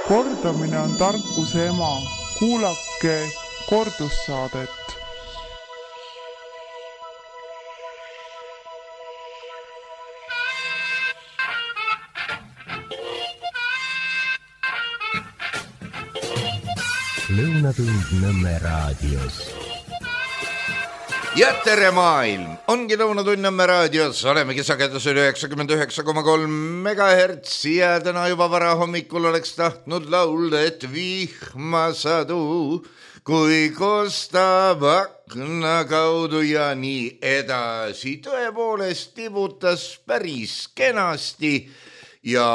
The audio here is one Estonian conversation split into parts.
Kordamine on tarkuse ema. Kuulake kordussaadet. Lõunatund Nõmme raadios. Ja tere maailm! Ongi Lõunatund Nõmme raadios. Olemegi sagedusel 99,3 MHz ja täna juba vara hommikul oleks tahtnud laulda, et vihma sadu, kui kostab akna kaudu ja nii edasi. Tõepoolest tibutas päris kenasti ja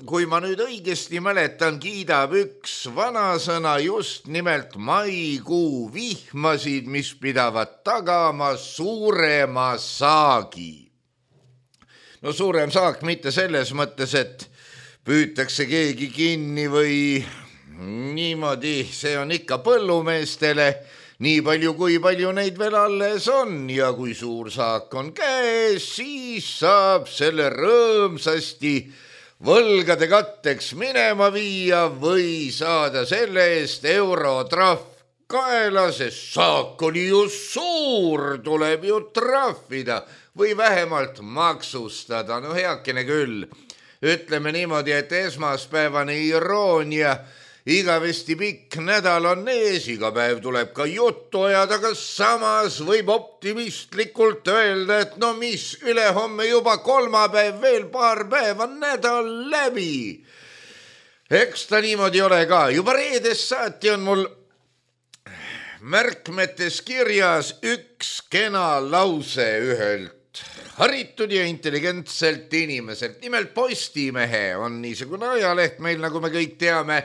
kui ma nüüd õigesti mäletan, kiidab üks vanasõna just nimelt maikuu vihmasid, mis pidavad tagama suurema saagi. No suurem saak mitte selles mõttes, et püütakse keegi kinni või niimoodi, see on ikka põllumeestele nii palju, kui palju neid veel alles on ja kui suur saak on käes, siis saab selle rõõmsasti võlgade katteks minema viia või saada selle eest eurotrahv kaela, sest saak oli ju suur, tuleb ju trahvida või vähemalt maksustada. No heakene küll, ütleme niimoodi, et esmaspäevane iroonia, igavesti pikk nädal on ees, iga päev tuleb ka juttu ajada, aga samas võib optimistlikult öelda, et no mis, ülehomme juba kolmapäev, veel paar päeva, nädal läbi. Eks ta niimoodi ole ka. Juba reedest saati on mul märkmetes kirjas üks kena lause ühelt haritud ja intelligentselt inimeselt. Nimelt Postimehe on niisugune ajaleht meil, nagu me kõik teame.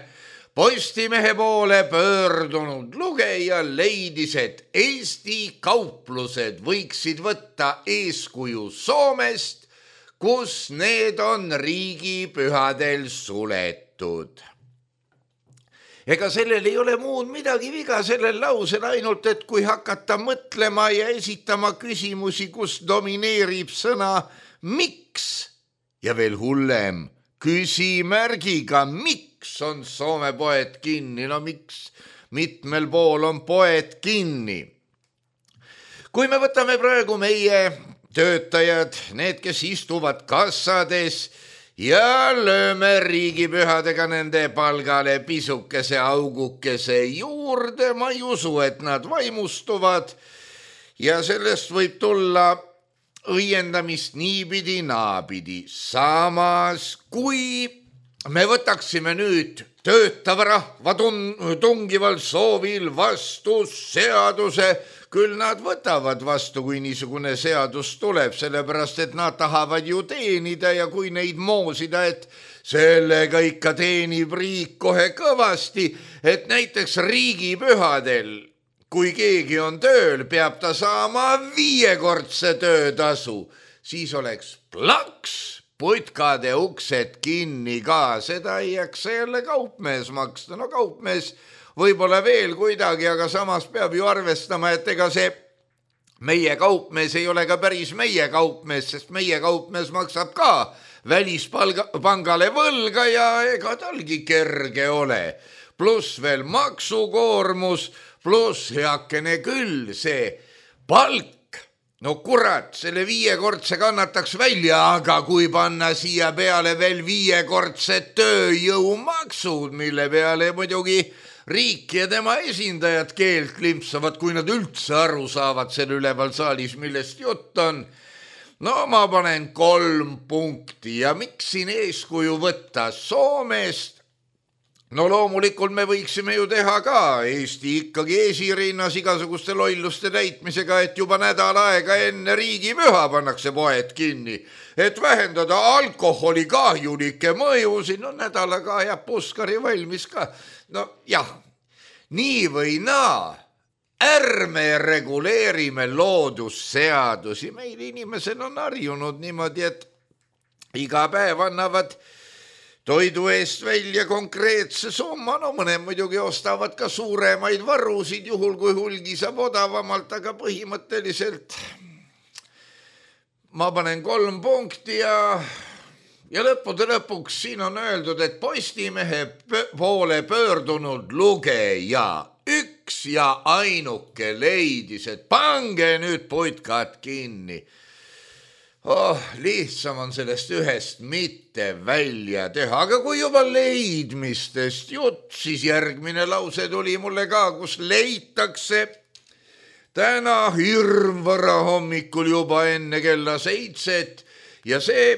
Postimehe poole pöördunud lugeja leidis, et Eesti kauplused võiksid võtta eeskuju Soomest, kus need on riigipühadel suletud. Ega sellel ei ole muud midagi viga sellel lausel, ainult et kui hakata mõtlema ja esitama küsimusi, kus domineerib sõna miks ja veel hullem küsimärgiga miks on Soome poed kinni, no miks mitmel pool on poed kinni. Kui me võtame praegu meie töötajad, need, kes istuvad kassades ja lööme riigipühadega nende palgale pisukese augukese juurde, ma ei usu, et nad vaimustuvad ja sellest võib tulla õiendamist niipidi naapidi. Samas, kui me võtaksime nüüd töötava rahva tungival soovil vastu seaduse, küll nad võtavad vastu, kui niisugune seadus tuleb, sellepärast et nad tahavad ju teenida ja kui neid moosida, et sellega ikka teenib riik kohe kõvasti, et näiteks riigipühadel, kui keegi on tööl, peab ta saama 5-kordse töötasu, siis oleks plaks. Putkade uksed kinni ka, seda ei jaksa jälle kaupmees maksta. No kaupmees võib-olla veel kuidagi, aga samas peab ju arvestama, et ega see meie kaupmees ei ole ka päris meie kaupmees, sest meie kaupmees maksab ka välispangale võlga ja ega talgi kerge ole. Pluss veel maksukoormus, pluss heakene küll see palk. No kurat, selle 5-kordse kannataks välja, aga kui panna siia peale veel 5-kordsed tööjõumaksud, mille peale muidugi riik ja tema esindajad keelt limpsavad, kui nad üldse aru saavad selle üleval saalis, millest jutt on. No ma panen 3 punkti ja miks siin eeskuju võtta Soomest? No loomulikult me võiksime ju teha ka Eesti ikkagi esirinnas igasuguste lolluste täitmisega, et juba nädal aega enne riigipüha pannakse poed kinni, et vähendada alkoholi kahjulikke mõjusid. No nädalaga jääb puskari valmis ka. No jah, nii või naa, ärme reguleerime loodusseadusi. Meil inimesed on harjunud niimoodi, et iga päev annavad toidu eest välja konkreetse summa, no mõned muidugi ostavad ka suuremaid varusid, juhul kui hulgi saab odavamalt, aga põhimõtteliselt ma panen 3 punkti ja ja lõppude lõpuks siin on öeldud, et Postimehe poole pöördunud lugeja üks ja ainuke leidis, et pange nüüd putkad kinni. Lihtsam on sellest ühest mitte välja teha, aga kui juba leidmistest jutt, siis järgmine lause tuli mulle ka, kus leitakse täna hirmvara hommikul juba enne kella 7 ja see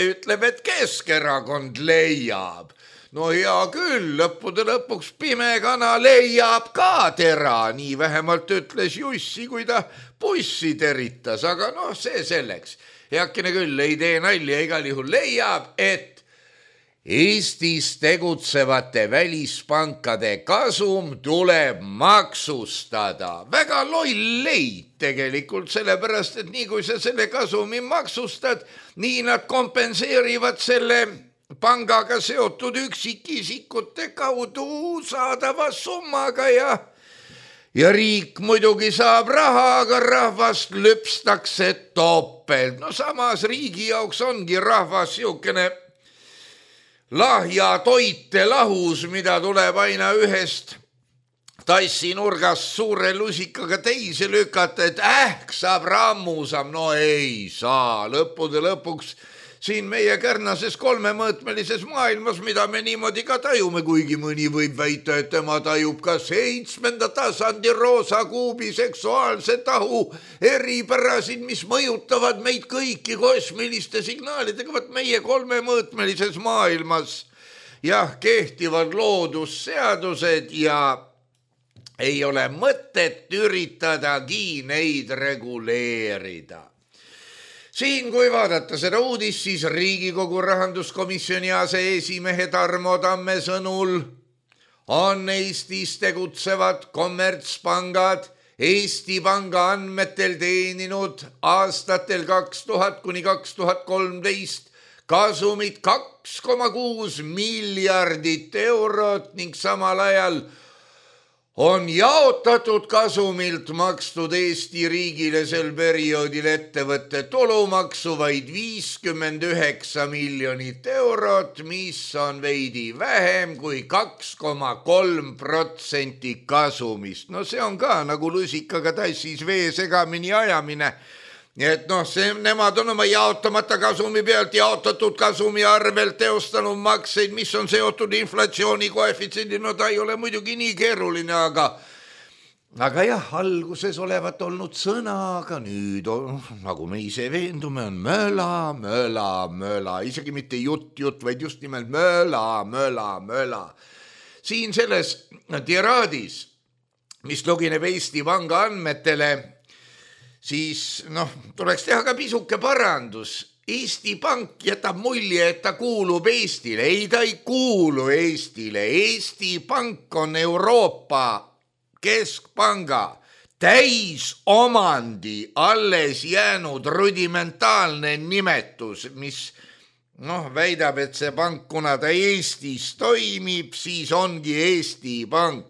ütleb, et Keskerakond leiab. No hea küll, lõppude lõpuks pime kana leiab ka tera, nii vähemalt ütles Jussi, kui ta bussi teritas, aga see selleks. Heakene küll, ei tee nalja, igal juhul leiab, et Eestis tegutsevate välispankade kasum tuleb maksustada. Väga loll leid tegelikult, sellepärast, et nii kui sa selle kasumi maksustad, nii nad kompenseerivad selle pangaga seotud üksikisikute kaudu saadava summaga ja riik muidugi saab raha, aga rahvast lüpstakse topelt. Samas riigi jaoks ongi rahvas siukene lahja toite lahus, mida tuleb aina ühest tassinurgast suure lusikaga teise lükata, et saab rammusam. No ei saa, lõppude lõpuks siin meie kärnases kolmemõõtmelises maailmas, mida me niimoodi ka tajume, kuigi mõni võib väita, et tema tajub ka 7. tasandi roosa kuubi seksuaalse tahu eripärasid, mis mõjutavad meid kõiki kosmiliste signaalidega. Vaat meie kolmemõõtmelises maailmas kehtivad loodusseadused ja ei ole mõtet üritadagi neid reguleerida. Siin, kui vaadata seda uudist, siis Riigikogu rahanduskomisjoni aseesimehe Tarmo Tamme sõnul on Eestis tegutsevad kommertspangad Eesti Panga andmetel teeninud aastatel 2000 kuni 2013 kasumit 2,6 miljardit eurot ning samal ajal on jaotatud kasumilt makstud Eesti riigile sel perioodil ettevõtte tulumaksu vaid 59 miljonit eurot, mis on veidi vähem kui 2,3% kasumist. See on ka nagu lusikaga tassis vee segamini ajamine. Et nemad on oma jaotamata kasumi pealt jaotatud kasumi arvelt teostanud makseid, mis on seotud inflatsiooni koefitsiendi. Ta ei ole muidugi nii keeruline, aga jah, alguses olevat olnud sõna, aga nüüd, nagu me ise veendume, on möla, isegi mitte jutt, vaid just nimelt möla. Siin selles tiraadis, mis tugineb Eesti Panga andmetele, siis tuleks teha ka pisuke parandus. Eesti Pank jätab mulje, et ta kuulub Eestile. Ei, ta ei kuulu Eestile. Eesti Pank on Euroopa Keskpanga täisomandi alles jäänud rudimentaalne nimetus, mis väidab, et see pank, kuna ta Eestis toimib, siis ongi Eesti Pank.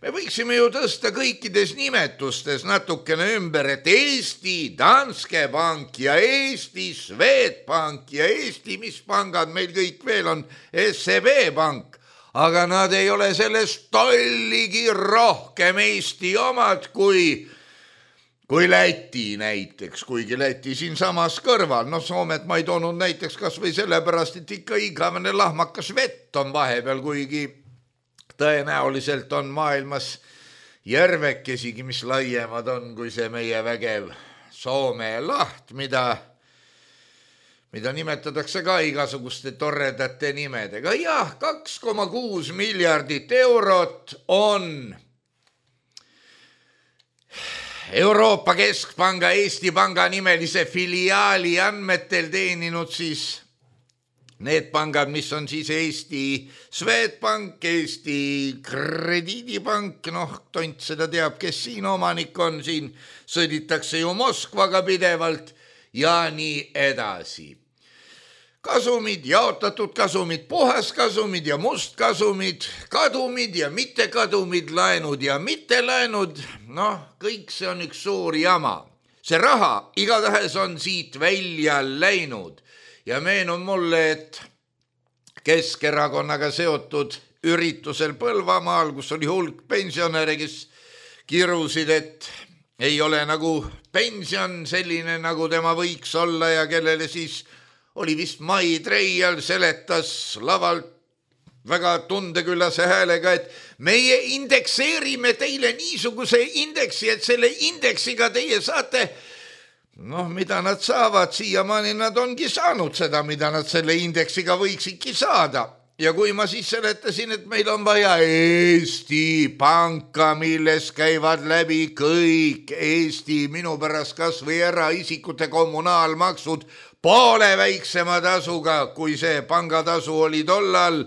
Me võiksime ju tõsta kõikides nimetustes natukene ümber, et Eesti Danske Bank ja Eesti Swedbank ja Eesti, mis pangad meil kõik veel on, SEB Bank, aga nad ei ole sellest tolligi rohkem Eesti omad kui Läti näiteks, kuigi Läti siin samas kõrval. Soomet ma ei toonud näiteks kas või sellepärast, et ikka igavene lahmakas vett on vahepeal, kuigi tõenäoliselt on maailmas järvekesigi, mis laiemad on kui see meie vägev Soome laht, mida nimetatakse ka igasuguste toredate nimedega. 2,6 miljardit eurot on Euroopa Keskpanga Eesti Panga nimelise filiaali andmetel teeninud siis need pangad, mis on siis Eesti Swedbank, Eesti Krediidipank, tont seda teab, kes siin omanik on, siin sõditakse ju Moskvaga pidevalt ja nii edasi. Kasumid, jaotatud kasumid, puhaskasumid ja mustkasumid, kadumid ja mittekadumid, laenud ja mittelaenud, kõik see on üks suur jama. See raha igatahes on siit välja läinud. ja meenub mulle, et Keskerakonnaga seotud üritusel Põlvamaal, kus oli hulk pensionäre, kes kirusid, et ei ole nagu pension selline, nagu tema võiks olla ja kellele siis oli vist Mai Treial seletas lavalt väga tundeküllase häälega, et meie indekseerime teile niisuguse indeksi, et selle indeksiga teie saate, mida nad saavad, siiamaani nad ongi saanud seda, mida nad selle indeksiga võiksidki saada. Ja kui ma siis seletasin, et meil on vaja Eesti Panka, milles käivad läbi kõik Eesti, minu pärast kas või eraisikute kommunaalmaksud poole väiksema tasuga, kui see pangatasu oli tollal,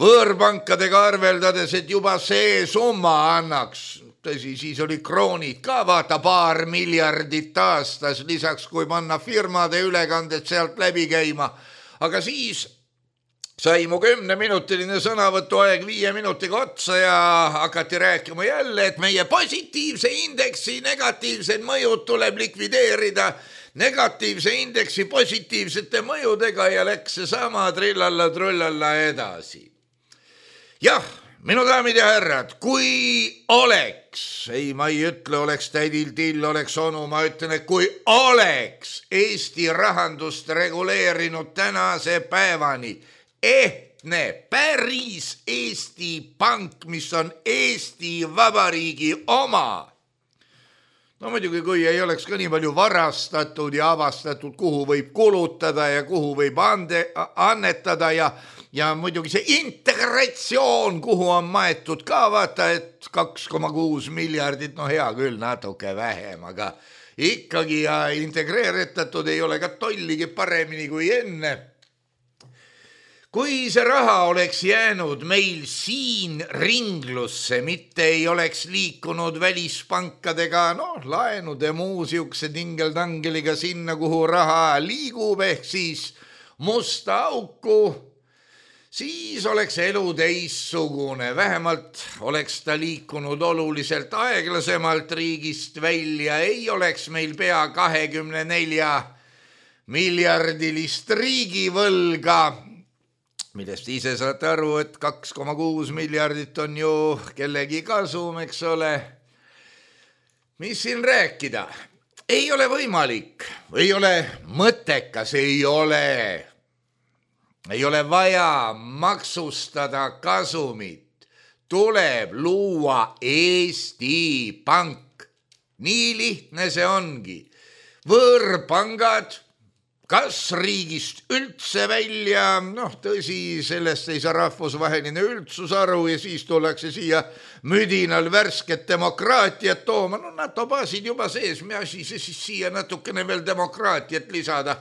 võõrpankadega arveldades, et juba see summa annaks, tõsi, siis oli kroonid ka, vaata, 2 miljardit aastas, lisaks kui panna firmade ülekanded sealt läbi käima, aga siis sai mu 10-minutiline sõnavõtuaeg 5 minutiga otsa ja hakati rääkima jälle, et meie positiivse indeksi negatiivsed mõjud tuleb likvideerida negatiivse indeksi positiivsete mõjudega ja läks seesama trillalla-trullalla edasi. Jah, minu daamid ja härrad, kui oleks, ma ei ütle, oleks tädil till, oleks onu, ma ütlen, et kui oleks Eesti rahandust reguleerinud tänase päevani ehtne, päris Eesti Pank, mis on Eesti Vabariigi oma. Muidugi, kui ei oleks ka nii palju varastatud ja avastatud, kuhu võib kulutada ja kuhu võib annetada ja muidugi see integratsioon, kuhu on maetud ka, vaata, et 2,6 miljardit, hea küll, natuke vähem, aga ikkagi ja integreeritatud ei ole ka tolligi paremini kui enne. Kui see raha oleks jäänud meil siin ringlusse, mitte ei oleks liikunud välispankadega, laenude muu siukse tingeltangeliga sinna, kuhu raha liigub, ehk siis musta auku, siis oleks elu teissugune. Vähemalt oleks ta liikunud oluliselt aeglasemalt riigist välja, ei oleks meil pea 24 miljardilist riigivõlga, millest ise saate aru, et 2,6 miljardit on ju kellegi kasum, eks ole. Mis siin rääkida? Ei ole võimalik, ei ole mõttekas, ei ole vaja maksustada kasumit. Tuleb luua Eesti Pank. Nii lihtne see ongi. Võõrpangad kas riigist üldse välja, tõsi, sellest ei saa rahvusvaheline üldsus aru ja siis tullakse siia müdinal värsket demokraatiat tooma. NATO baasid juba sees, me asi siis siia natukene veel demokraatiat lisada.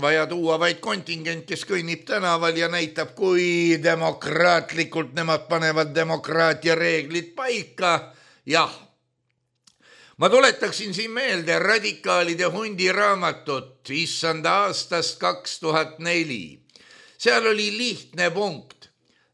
Vaja tuua vaid kontingent, kes kõnnib tänaval ja näitab, kui demokraatlikult nemad panevad demokraatia reeglid paika. Jah. Ma tuletaksin siin meelde radikaalide hundi raamatut issanda aastast 2004. Seal oli lihtne punkt.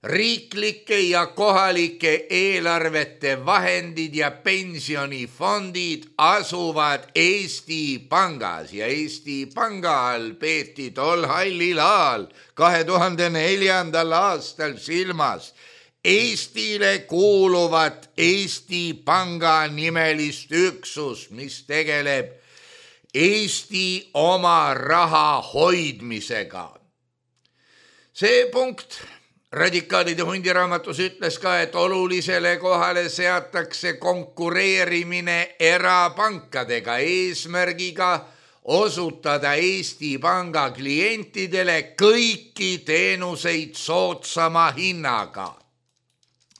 Riiklike ja kohalike eelarvete vahendid ja pensionifondid asuvad Eesti Pangas ja Eesti Panga all peeti tol hallil ajal 2004. aastal silmas Eestile kuuluvat Eesti Panga nimelist üksust, mis tegeleb Eesti oma raha hoidmisega. See punkt radikaalide hundiraamatus ütles ka, et olulisele kohale seatakse konkureerimine erapankadega eesmärgiga osutada Eesti Panga klientidele kõiki teenuseid soodsama hinnaga.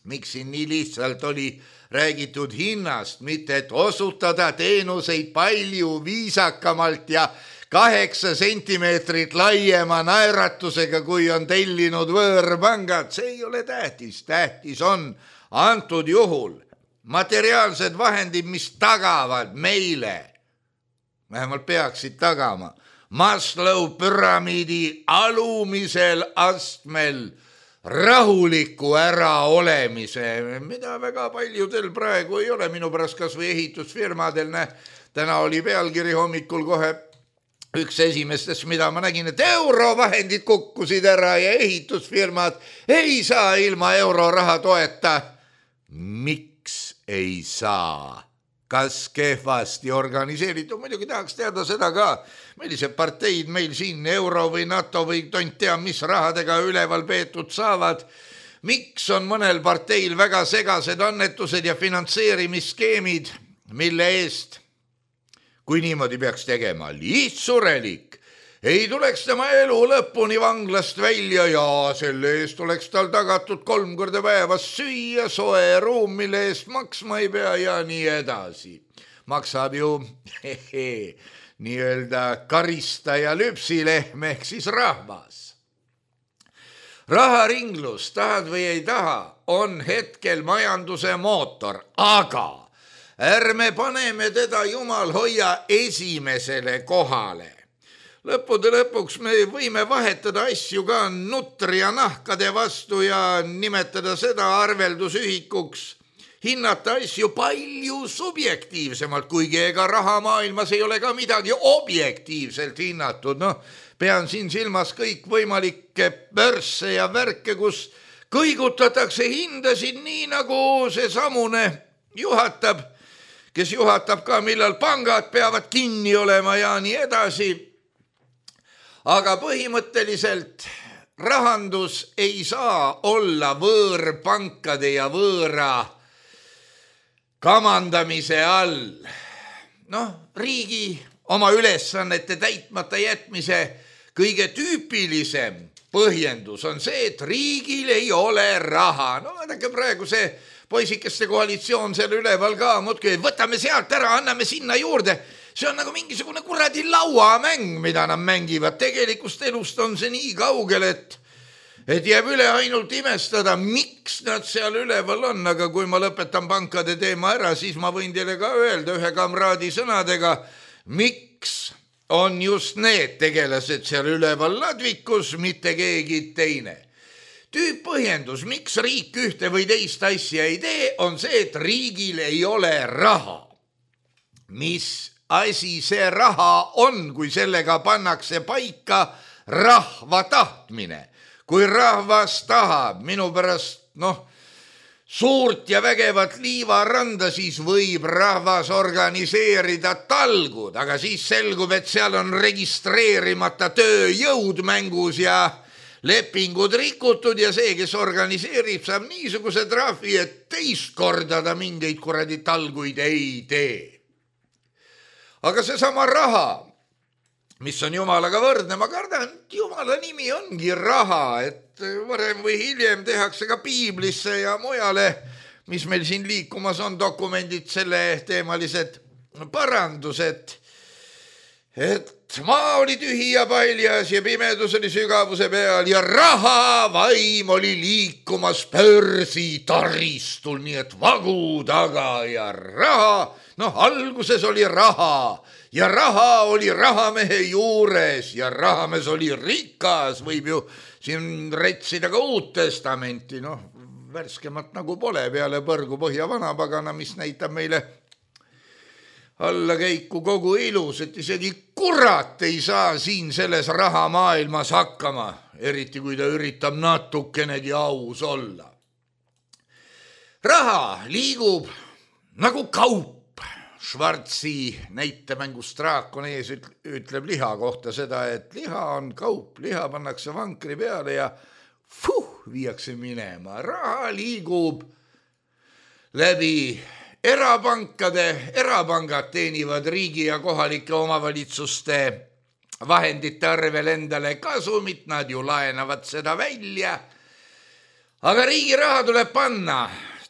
Miks siin nii lihtsalt oli räägitud hinnast, mitte et osutada teenuseid palju viisakamalt ja 8 sentimeetrit laiema naeratusega, kui on tellinud võõrpangad. See ei ole tähtis. Tähtis on antud juhul materiaalsed vahendid, mis tagavad meile, vähemalt peaksid tagama, Maslow püramiidi alumisel astmel rahuliku äraolemise, mida väga paljudel praegu ei ole, minu pärast kas või ehitusfirmadel. Täna oli pealkiri hommikul kohe üks esimestest, mida ma nägin, et eurovahendid kukkusid ära ja ehitusfirmad ei saa ilma euroraha toeta. Miks ei saa? Kas kehvasti organiseeritud? Muidugi tahaks teada seda ka, millised parteid meil siin euro või NATO või tont tea, mis rahadega üleval peetud saavad. Miks on mõnel parteil väga segased annetused ja finantseerimisskeemid, mille eest, kui niimoodi peaks tegema, lihtsurelik, ei tuleks tema elu lõpuni vanglast välja ja selle eest oleks tal tagatud 3 korda päevas süüa, soe ruum, mille eest maksma ei pea ja nii edasi. Maksab ju nii-öelda karistaja lüpsilehm ehk siis rahvas. Raharinglus, tahad või ei taha, on hetkel majanduse mootor, aga ärme paneme teda jumal hoia esimesele kohale. Lõppude lõpuks me võime vahetada asju ka nutri ja nahkade vastu ja nimetada seda arveldusühikuks, hinnata asju palju subjektiivsemalt, kuigi ega rahamaailmas ei ole ka midagi objektiivselt hinnatud. Pean siin silmas kõik võimalikke börse ja värke, kus kõigutatakse hindasid nii nagu see samune juhatab, kes juhatab ka, millal pangad peavad kinni olema ja nii edasi. Aga põhimõtteliselt rahandus ei saa olla võõrpankade ja võõra kamandamise all. Riigi oma ülesannete täitmata jätmise kõige tüüpilisem põhjendus on see, et riigil ei ole raha. Vaadake praegu see poisikeste koalitsioon seal üleval ka, muudki, võtame sealt ära, anname sinna juurde. See on nagu mingisugune kuradi lauamäng, mida nad mängivad. Tegelikust elust on see nii kaugel, et jääb üle ainult imestada, miks nad seal üleval on. Aga kui ma lõpetan pankade teema ära, siis ma võin teile ka öelda ühe kamraadi sõnadega, miks on just need tegelased seal üleval ladvikus, mitte keegi teine. Tüüppõhjendus, miks riik ühte või teist asja ei tee, on see, et riigil ei ole raha. Mis asi see raha on, kui sellega pannakse paika rahva tahtmine? Kui rahvas tahab minu pärast, suurt ja vägevat liivaranda, siis võib rahvas organiseerida talgud, aga siis selgub, et seal on registreerimata tööjõud mängus ja lepingud rikutud ja see, kes organiseerib, saab niisuguse trahvi, et teist korda ta mingeid kuradi talguid ei tee. Aga seesama raha, mis on jumalaga võrdne, ma kardan, et jumala nimi ongi raha, et varem või hiljem tehakse ka piiblisse ja mujale, mis meil siin liikumas on, dokumendid, selle teemalised parandused, et maa oli tühi ja paljas ja pimedus oli sügavuse peal ja raha vaim oli liikumas börsi taristul, nii et vagu taga ja raha, alguses oli raha ja raha oli rahamehe juures ja rahamees oli rikas, võib ju siin retsida ka Uut Testamenti, värskemat nagu pole peale põrgu põhja vanapagana, mis näitab meile allakäiku kogu ilus, et isegi kurat ei saa siin selles rahamaailmas hakkama, eriti kui ta üritab natukenegi aus olla. Raha liigub nagu kaup. Schwarzi näitemängus Draakon ees ütleb liha kohta seda, et liha on kaup, liha pannakse vankri peale ja viiakse minema. Raha liigub läbi erapankade, erapangad teenivad riigi ja kohalike omavalitsuste vahendite arvel endale kasumit, nad ju laenavad seda välja. Aga riigi raha tuleb panna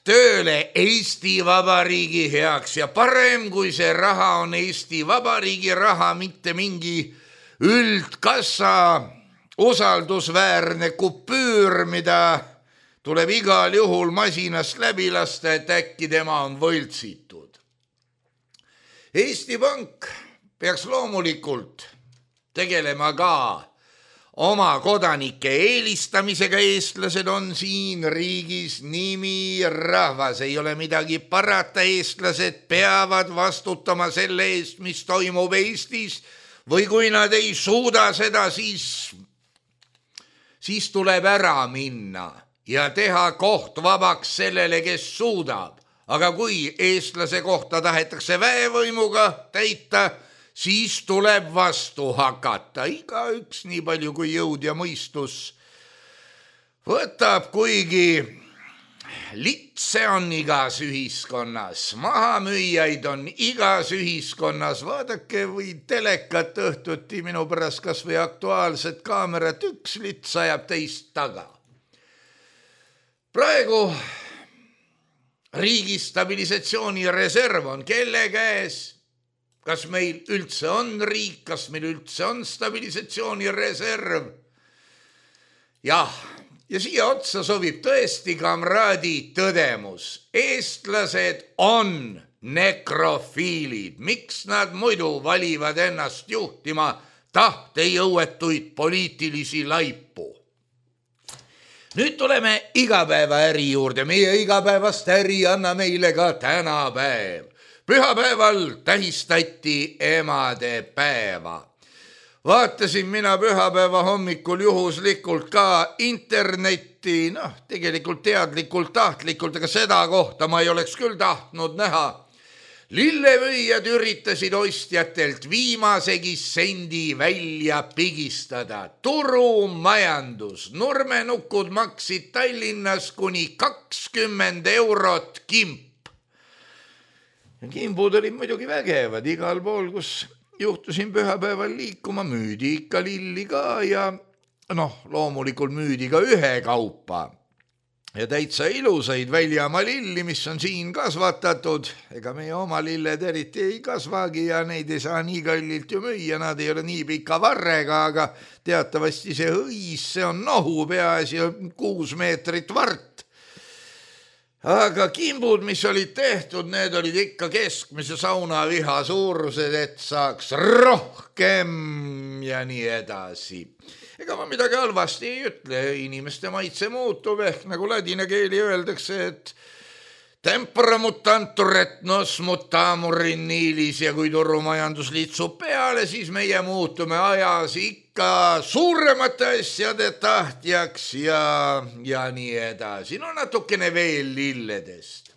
tööle Eesti Vabariigi heaks ja parem, kui see raha on Eesti Vabariigi raha, mitte mingi üldkassa usaldusväärne kupüür, mida tuleb igal juhul masinast läbi lasta, et äkki tema on võltsitud. Eesti Pank peaks loomulikult tegelema ka oma kodanike eelistamisega. Eestlased on siin riigis nimi rahvas, ei ole midagi parata, eestlased peavad vastutama selle eest, mis toimub Eestis, või kui nad ei suuda seda, siis tuleb ära minna ja teha koht vabaks sellele, kes suudab. Aga kui eestlase kohta tahetakse väevõimuga täita, siis tuleb vastu hakata. Igaüks nii palju kui jõud ja mõistus võtab, kuigi litse on igas ühiskonnas, mahamüüjaid on igas ühiskonnas. Vaadake või telekat õhtuti minu pärast kas või Aktuaalset kaamerat, üks lits ajab teist taga. Praegu riigi stabilisatsioonireserv on kelle käes? Kas meil üldse on riik, kas meil üldse on stabilisatsioonireserv? Jah, ja siia otsa sobib tõesti kamraadi tõdemus. Eestlased on nekrofiilid. Miks nad muidu valivad ennast juhtima tahtejõuetuid poliitilisi laipu? Nüüd tuleme igapäevaäri juurde. Meie igapäevast äri anna meile ka tänapäev. Pühapäeval tähistati emade päeva. Vaatasin mina pühapäeva hommikul juhuslikult ka internetti, tegelikult teadlikult, tahtlikult, aga seda kohta ma ei oleks küll tahtnud näha. Lillevõijad üritasid ostjatelt viimasegi sendi välja pigistada. Turumajandus. Nurmenukud maksid Tallinnas kuni 20 eurot kimp. Kimbud olid muidugi vägevad, igal pool, kus juhtusin pühapäeval liikuma, müüdi ikka lilli ka ja loomulikult müüdi ka ühekaupa. Ja täitsa ilusaid väljamaa lilli, mis on siin kasvatatud. Ega meie oma lilled eriti ei kasvagi ja neid ei saa nii kallilt ju müüa, nad ei ole nii pika varrega, aga teatavasti see hõis, see on nohu, peaasi 6 meetrit vart. Aga kimbud, mis olid tehtud, need olid ikka keskmise saunaviha suurused, et saaks rohkem ja nii edasi. Ega ma midagi halvasti ei ütle, inimeste maitse muutub, ehk nagu ladina keeli öeldakse, et tempora mutantur et nos mutamur in niilis ja kui turumajandus litsub peale, siis meie muutume ajas ikka suuremate asjade tahtjaks ja nii edasi. Natukene veel lilledest.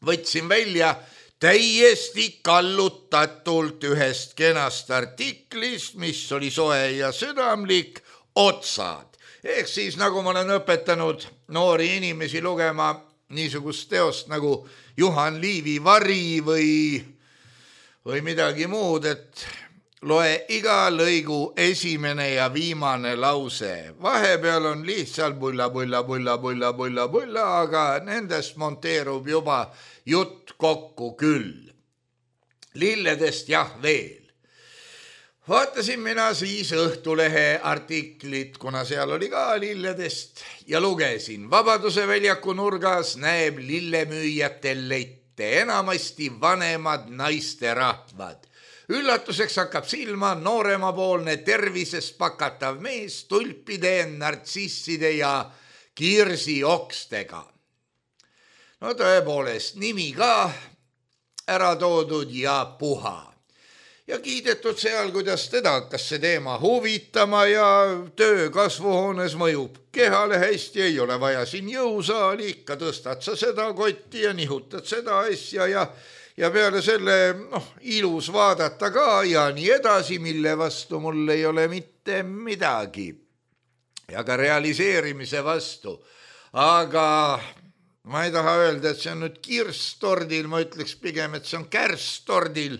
Võtsin välja täiesti kallutatult ühest kenast artiklist, mis oli soe ja südamlik, otsad. Ehk siis nagu ma olen õpetanud noori inimesi lugema niisugust teost nagu Juhan Liivi Vari või midagi muud, et loe iga lõigu esimene ja viimane lause. Vahepeal on lihtsalt bulla, aga nendest monteerub juba jutt kokku küll. Lilledest jah veel. Vaatasin mina siis Õhtulehe artiklit, kuna seal oli ka lilledest ja lugesin. Vabaduse väljaku nurgas näeb lillemüüjatel lette, enamasti vanemad naisterahvad. Üllatuseks hakkab silma nooremapoolne tervisest pakatav mees tulpide, nartsisside ja kirsiokstega. Tõepoolest, nimi ka ära toodud ja puha. Ja kiidetud seal, kuidas teda hakkas see teema huvitama ja töö kasvuhoones mõjub kehale hästi, ei ole vaja siin jõusaali, ikka tõstad sa seda kotti ja nihutad seda asja ja peale selle ilus vaadata ka ja nii edasi, mille vastu mul ei ole mitte midagi. Ja ka realiseerimise vastu. Aga ma ei taha öelda, et see on nüüd kirstordil, ma ütleks pigem, et see on kärstordil.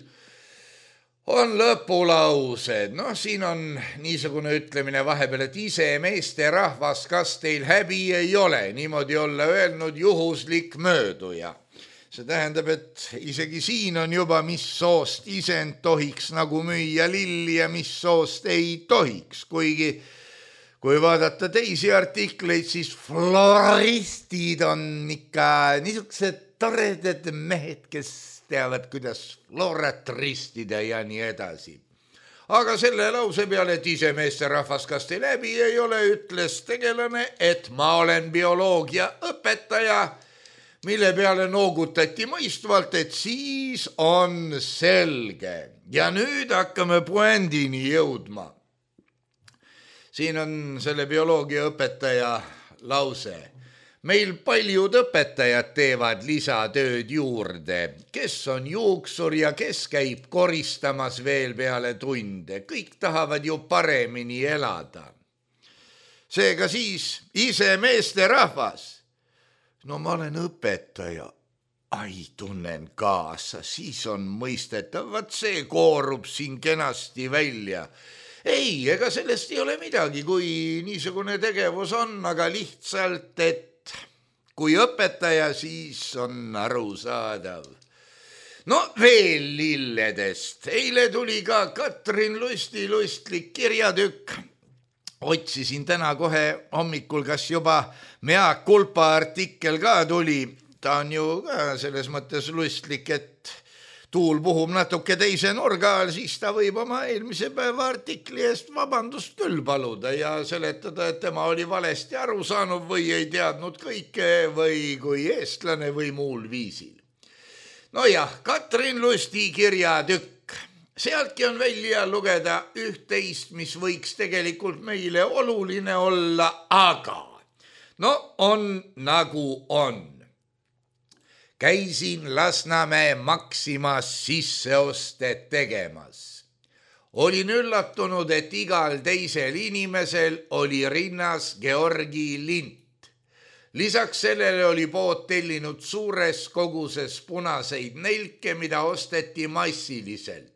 On lõpulaused, siin on niisugune ütlemine vahepeal, et ise meeste rahvas, kas teil häbi ei ole, niimoodi olla öelnud juhuslik mööduja. See tähendab, et isegi siin on juba, mis soost isend tohiks nagu müüa lilli ja mis soost ei tohiks, kuigi kui vaadata teisi artikleid, siis floristid on ikka niisugused toredad mehed, kes teavad, kuidas florat ristida ja nii edasi. Aga selle lause peale, et ise meesterahvas, kas teil läbi ei ole, ütles tegelane, et ma olen bioloogia õpetaja, mille peale noogutati mõistvalt, et siis on selge. Ja nüüd hakkame puändini jõudma. Siin on selle bioloogiaõpetaja lause. Meil paljud õpetajad teevad lisatööd juurde, kes on juuksur ja kes käib koristamas veel peale tunde. Kõik tahavad ju paremini elada. Seega siis ise meesterahvas. No ma olen õpetaja. Ai, tunnen kaasa, siis on mõistetav, vaat see koorub siin kenasti välja. Ei, ega sellest ei ole midagi, kui niisugune tegevus on, aga lihtsalt, et kui õpetaja, siis on arusaadav. No veel lilledest. Eile tuli ka Katrin Lusti lustlik kirjatükk. Otsisin täna kohe hommikul, kas juba Mea Kulpa artikkel ka tuli. Ta on ju ka selles mõttes lustlik, et tuul puhub natuke teise nurga all, siis ta võib oma eelmise päeva artikli eest vabandust küll paluda ja seletada, et tema oli valesti aru saanud või ei teadnud kõike või kui eestlane või muul viisil. Nojah, Katrin Lusti kirjatükk. Sealtki on välja lugeda üht-teist, mis võiks tegelikult meile oluline olla, aga no on nagu on. Käisin Lasnamäe Maximas sisseostet tegemas. Olin üllatunud, et igal teisel inimesel oli rinnas Georgi lint. Lisaks sellele oli pood tellinud suures koguses punaseid nelke, mida osteti massiliselt.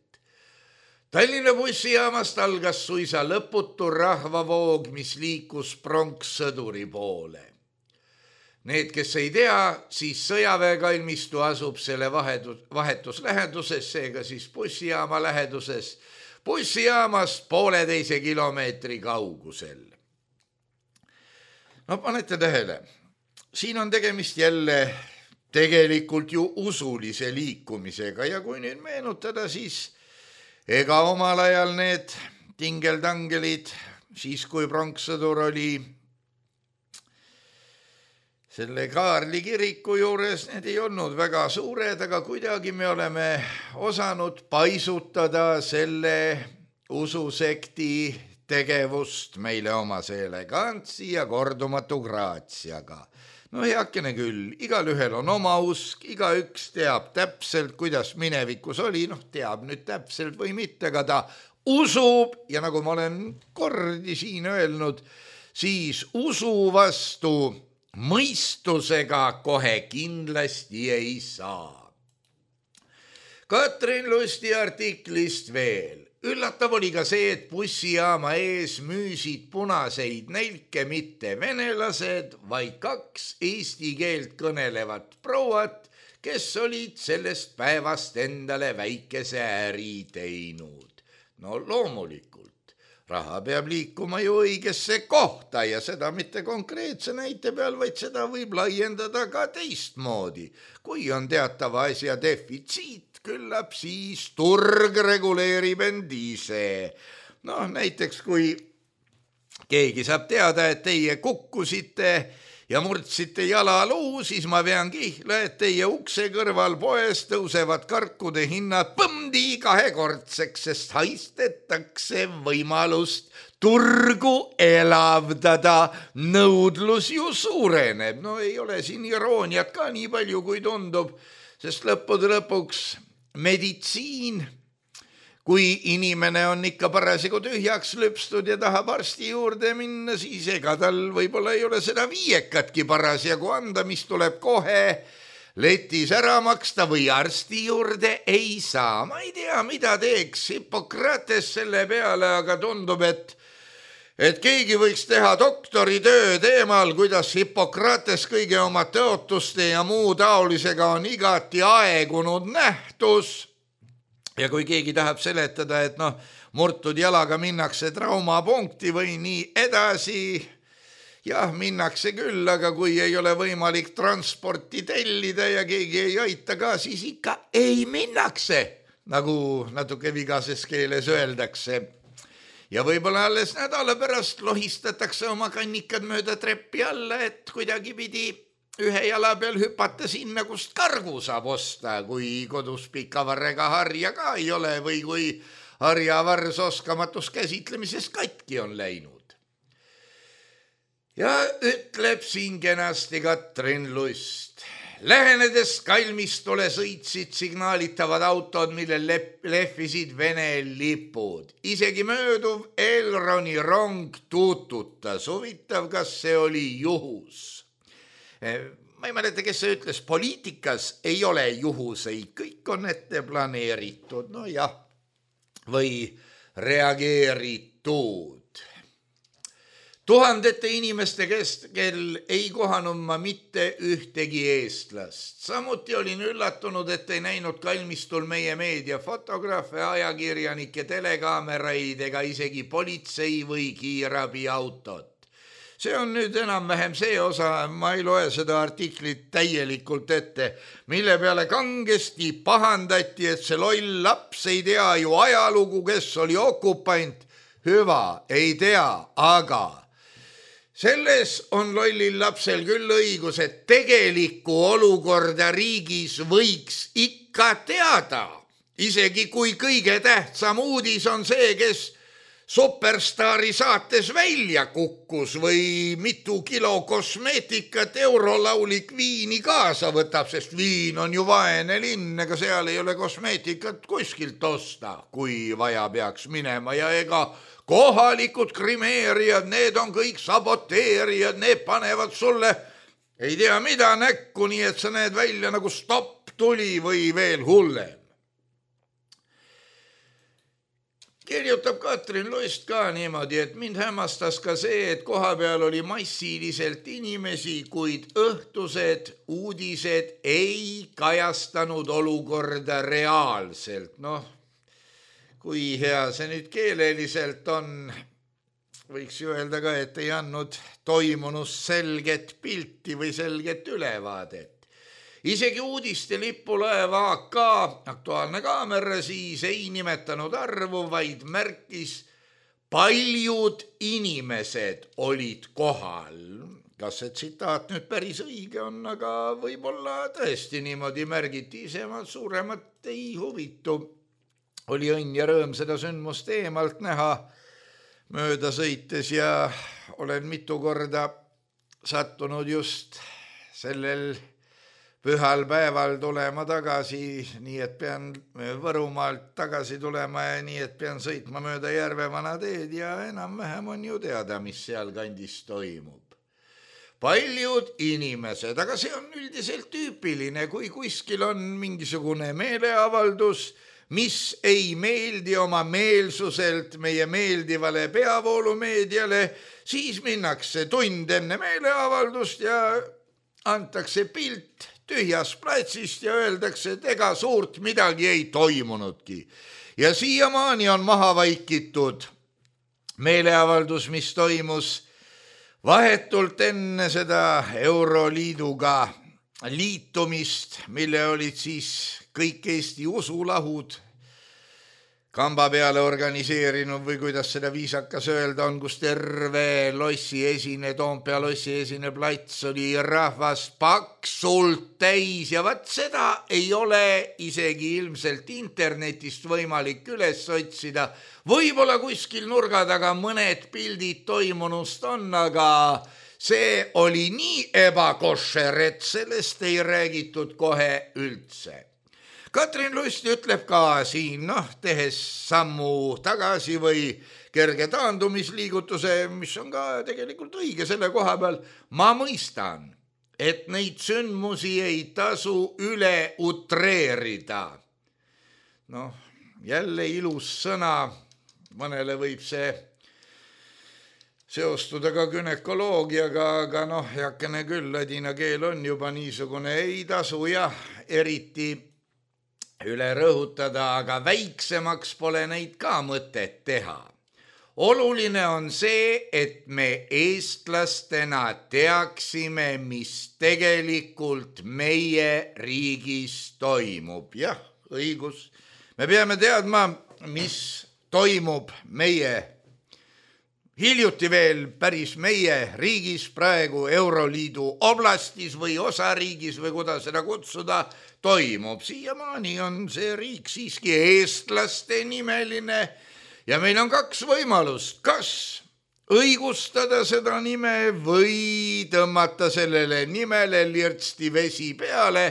Tallinna bussijaamast algas suisa lõputu rahvavoog, mis liikus pronkssõduri poole. Need, kes ei tea, siis sõjaväekalmistu asub selle vahetus läheduses, seega siis bussijaama läheduses, bussijaamast 1,5 kilomeetri kaugusel. No panete tähele, siin on tegemist jälle tegelikult ju usulise liikumisega ja kui nüüd meenutada, siis ega omal ajal need tingeltangelid, siis kui pronkssõdur oli selle Kaarli kiriku juures, need ei olnud väga suured, aga kuidagi me oleme osanud paisutada selle ususekti tegevust meile omase elegantsi ja kordumatu graatsiaga. No heakene küll, igalühel on oma usk, igaüks teab täpselt, kuidas minevikus oli, teab nüüd täpselt või mitte, aga ta usub ja nagu ma olen kordi siin öelnud, siis usu vastu mõistusega kohe kindlasti ei saa. Katrin Lusti artiklist veel. Üllatav oli ka see, et bussijaama ees müüsid punaseid nelke mitte venelased, vaid 2 eesti keelt kõnelevat prouat, kes olid sellest päevast endale väikese äri teinud. No loomulikult. Raha peab liikuma ju õigesse kohta ja seda mitte konkreetse näite peal, vaid seda võib laiendada ka teistmoodi. Kui on teatava asja defitsiit, küllap siis turg reguleerib end ise. Näiteks kui keegi saab teada, et teie kukkusite ja murdsite jalaluu, siis ma vean kihla, et teie ukse kõrval poes tõusevad karkude hinnad põmdi 2-kordseks, sest haistetakse võimalust turgu elavdada. Nõudlus ju suureneb. Ei ole siin irooniat ka nii palju, kui tundub, sest lõppude lõpuks meditsiin, kui inimene on ikka parasjagu tühjaks lüpstud ja tahab arsti juurde minna, siis ega tal võib-olla ei ole seda 5 parasjagu anda, mis tuleb kohe letis ära maksta või arsti juurde ei saa. Ma ei tea, mida teeks Hippokrates selle peale, aga tundub, et keegi võiks teha doktoritöö teemal, kuidas Hippokrates kõige oma tõotuste ja muu taolisega on igati aegunud nähtus. Ja kui keegi tahab seletada, et murtud jalaga minnakse traumapunkti või nii edasi, jah, minnakse küll, aga kui ei ole võimalik transporti tellida ja keegi ei aita ka, siis ikka ei minnakse, nagu natuke vigases keeles öeldakse. Ja võib-olla alles nädala pärast lohistatakse oma kannikad mööda treppi alla, et kuidagi pidi ühe jala peal hüpata sinna, kust kargu saab osta, kui kodus pikavarrega harja ka ei ole või kui harjavars oskamatus käsitlemises katki on läinud. Ja ütleb siin kenasti Katrin Lust. Lähenedes kalmistule sõitsid signaalitavad autod, millel lehvisid Vene lipud. Isegi mööduv Elroni rong tuututas. Huvitav, kas see oli juhus? Ma ei mäleta, kes see ütles, poliitikas ei ole juhuseid, kõik on ette planeeritud, no jah, või reageeritud. Tuhandete inimeste keskel ei kohanud ma mitte ühtegi eestlast. Samuti olin üllatunud, et ei näinud kalmistul meie meediafotograafe, ajakirjanike, telekaameraid ega isegi politsei või kiirabiautot. See on nüüd enam-vähem see osa, ma ei loe seda artiklit täielikult ette, mille peale kangesti pahandati, et see loll laps ei tea ju ajalugu, kes oli okupant. Hüva, ei tea, aga selles on lollil lapsel küll õigus, et tegelikku olukorda riigis võiks ikka teada. Isegi kui kõige tähtsam uudis on see, kes Superstaari saates välja kukkus või mitu kilo kosmeetikat eurolaulik viini kaasa võtab, sest viin on ju vaene linn, ega seal ei ole kosmeetikat kuskilt osta, kui vaja peaks minema ja ega kohalikud krimeerijad, need on kõik saboteerijad, need panevad sulle ei tea mida näkku, nii et sa näed välja nagu stopp tuli või veel hullem. Kirjutab Katrin Lust ka niimoodi, et mind hämmastas ka see, et koha peal oli massiliselt inimesi, kuid õhtused uudised ei kajastanud olukorda reaalselt. Noh, kui hea see nüüd keeleliselt on, võiks ju öelda ka, et ei andnud toimunust selget pilti või selget ülevaadet. Isegi uudiste lipulaev AK, Aktuaalne kaamera, siis ei nimetanud arvu, vaid märkis, paljud inimesed olid kohal. Kas see tsitaat nüüd päris õige on, aga võib-olla tõesti niimoodi märgiti, isemad suuremat ei huvitu. Oli õnn ja rõõm seda sündmust eemalt näha mööda sõites ja olen mitu korda sattunud just sellel pühal päeval tulema tagasi, nii et pean Võrumaalt tagasi tulema ja nii et pean sõitma mööda Järvevana teed ja enam-vähem on ju teada, mis seal kandis toimub. Paljud inimesed, aga see on üldiselt tüüpiline, kui kuskil on mingisugune meeleavaldus, mis ei meeldi oma meelsuselt meie meeldivale peavoolumeediale, siis minnakse tund enne meeleavaldust ja antakse pilt tühjast platsist ja öeldakse, et ega suurt midagi ei toimunudki. Ja siiamaani on maha vaikitud meeleavaldus, mis toimus vahetult enne seda Euroliiduga liitumist, mille olid siis kõik Eesti usulahud kamba peale organiseerinud või kuidas seda viisakas öelda on, kus terve Toompea lossi esine plats oli rahvas paksult täis ja vaat seda ei ole isegi ilmselt internetist võimalik üles otsida. Võib-olla kuskil nurga taga mõned pildid toimunust on, aga see oli nii ebakošer, et sellest ei räägitud kohe üldse. Katrin Lust ütleb ka siin, tehes sammu tagasi või kerge taandumisliigutuse, mis on ka tegelikult õige selle koha peal. Ma mõistan, et neid sündmusi ei tasu üle utreerida. Jälle ilus sõna, mõnele võib see seostuda ka günekoloogiaga, aga heakene küll, ladina keel on juba niisugune, ei tasu jah, eriti üle rõhutada, aga väiksemaks pole neid ka mõtet teha. Oluline on see, et me eestlastena teaksime, mis tegelikult meie riigis toimub. Jah, õigus. Me peame teadma, mis toimub meie hiljuti veel päris meie riigis praegu Euroliidu oblastis või osariigis või kuidas seda kutsuda toimub. Siiamaani on see riik siiski eestlaste nimeline ja meil on kaks võimalust, kas õigustada seda nime või tõmmata sellele nimele lirtsti vesi peale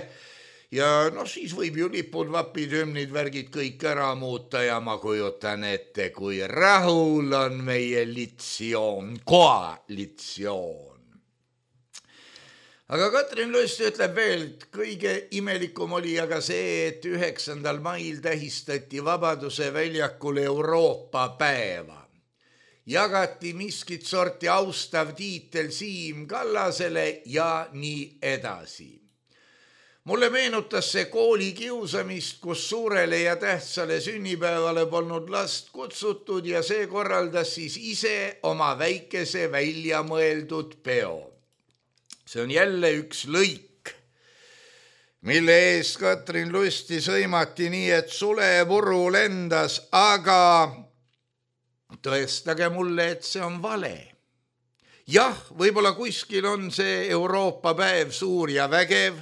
ja siis võib ju lipud, vapid, hümnid, värgid kõik ära muuta ja ma kujutan ette, kui rahul on meie koalitsioon. Aga Katrin Lust ütleb veel, et kõige imelikum oli aga see, et 9. mail tähistati Vabaduse väljakul Euroopa päeva. Jagati miskit sorti austav tiitel Siim Kallasele ja nii edasi. Mulle meenutas see kooli kiusamist, kus suurele ja tähtsale sünnipäevale polnud last kutsutud ja see korraldas siis ise oma väikese välja mõeldud peo. See on jälle üks lõik, mille eest Katrin Lusti sõimati nii, et sulepuru lendas, aga tõestage mulle, et see on vale. Jah, võib-olla kuskil on see Euroopa päev suur ja vägev,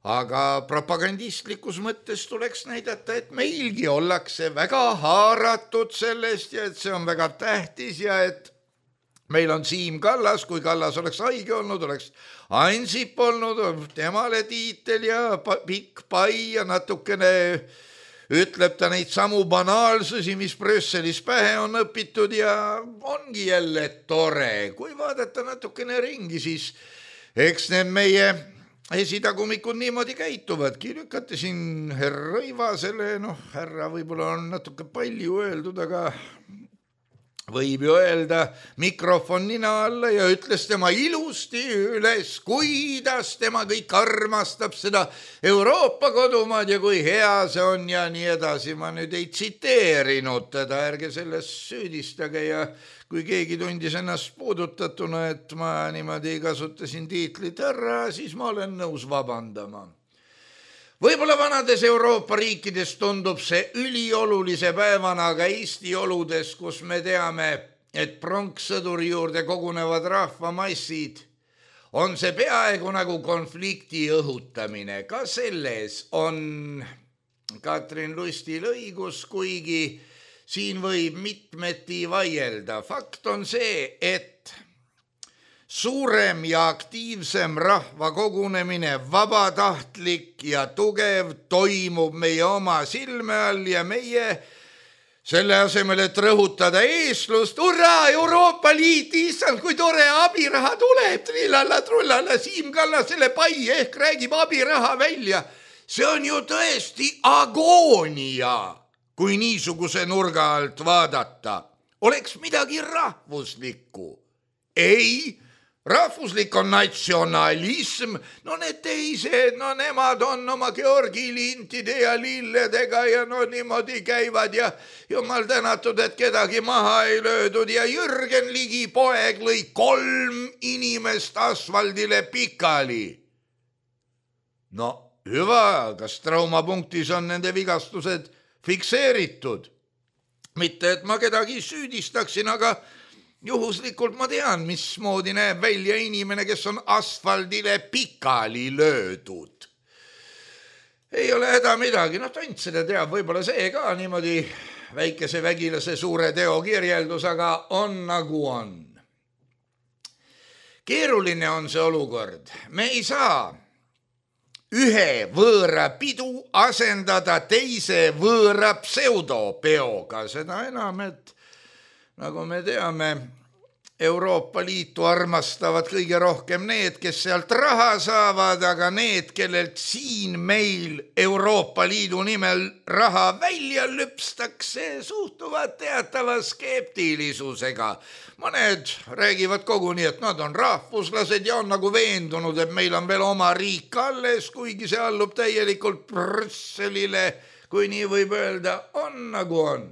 aga propagandistlikus mõttes tuleks näidata, et meilgi ollakse väga haaratud sellest ja et see on väga tähtis ja et meil on Siim Kallas, kui Kallas oleks haige olnud, oleks Ansip olnud, temale tiitel ja pikk pai ja natukene ütleb ta neid samu banaalsusi, mis Brüsselis pähe on õpitud ja ongi jälle tore. Kui vaadata natukene ringi, siis eks need meie esitagumikud niimoodi käituvadki. Lükati siin härra Rõivasele, härra võib-olla on natuke palju öeldud, aga võib ju öelda mikrofon nina alla ja ütles tema ilusti üles, kuidas tema kõik armastab seda Euroopa kodumaad ja kui hea see on ja nii edasi. Ma nüüd ei tsiteerinud teda, ärge sellest süüdistage ja kui keegi tundis ennast puudutatuna, et ma niimoodi kasutasin tiitlit härra, siis ma olen nõus vabandama. Võib-olla vanades Euroopa riikides tundub see üliolulise päevana, aga Eesti oludes, kus me teame, et pronkssõduri juurde kogunevad rahvamassid, on see peaaegu nagu konflikti õhutamine. Ka selles on Katrin Lustil õigus, kuigi siin võib mitmeti vaielda. Fakt on see, et suurem ja aktiivsem rahva kogunemine, vabatahtlik ja tugev, toimub meie oma silme all ja meie selle asemel, et rõhutada eestlust, hurraa, Euroopa Liit, issand, kui tore abiraha tuleb, trillalla, trullalla, Siim Kallasele pai ehk räägib abiraha välja. See on ju tõesti agoonia, kui niisuguse nurga alt vaadata. Oleks midagi rahvuslikku. Ei, rahvuslik on natsionalism, need teised, nemad on oma Georgi lintide ja lilledega ja niimoodi käivad ja jumal tänatud, et kedagi maha ei löödud ja Jürgen Ligi poeg lõi 3 inimest asfaldile pikali. Hüva, kas traumapunktis on nende vigastused fikseeritud? Mitte, et ma kedagi süüdistaksin, aga juhuslikult ma tean, mismoodi näeb välja inimene, kes on asfaldile pikali löödud. Ei ole häda midagi, tont seda teab, võib-olla see ka niimoodi väikese vägilase suure teo kirjeldus, aga on nagu on. Keeruline on see olukord. Me ei saa ühe võõra pidu asendada teise võõra pseudopeoga, seda enam, et nagu me teame, Euroopa Liitu armastavad kõige rohkem need, kes sealt raha saavad, aga need, kellelt siin meil Euroopa Liidu nimel raha välja lüpstakse, suhtuvad teatava skeptilisusega. Mõned räägivad koguni, et nad on rahvuslased ja on nagu veendunud, et meil on veel oma riik alles, kuigi see allub täielikult Brüsselile, kui nii võib öelda, on nagu on.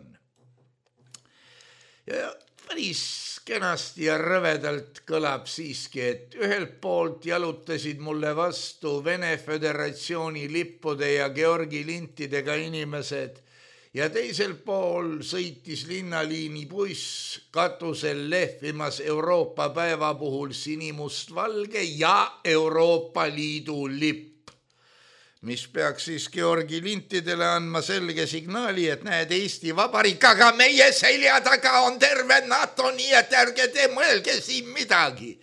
Ja päris kenasti ja rõvedalt kõlab siiski, et ühelt poolt jalutasid mulle vastu Vene Föderatsiooni lippude ja Georgi lintidega inimesed ja teisel pool sõitis linnaliini buss katusel lehvimas Euroopa päeva puhul sinimustvalge ja Euroopa Liidu lipp, mis peaks siis Georgi lintidele andma selge signaali, et näed, Eesti Vabariik, aga meie selja taga on terve NATO, nii et ärge te mõelge siin midagi.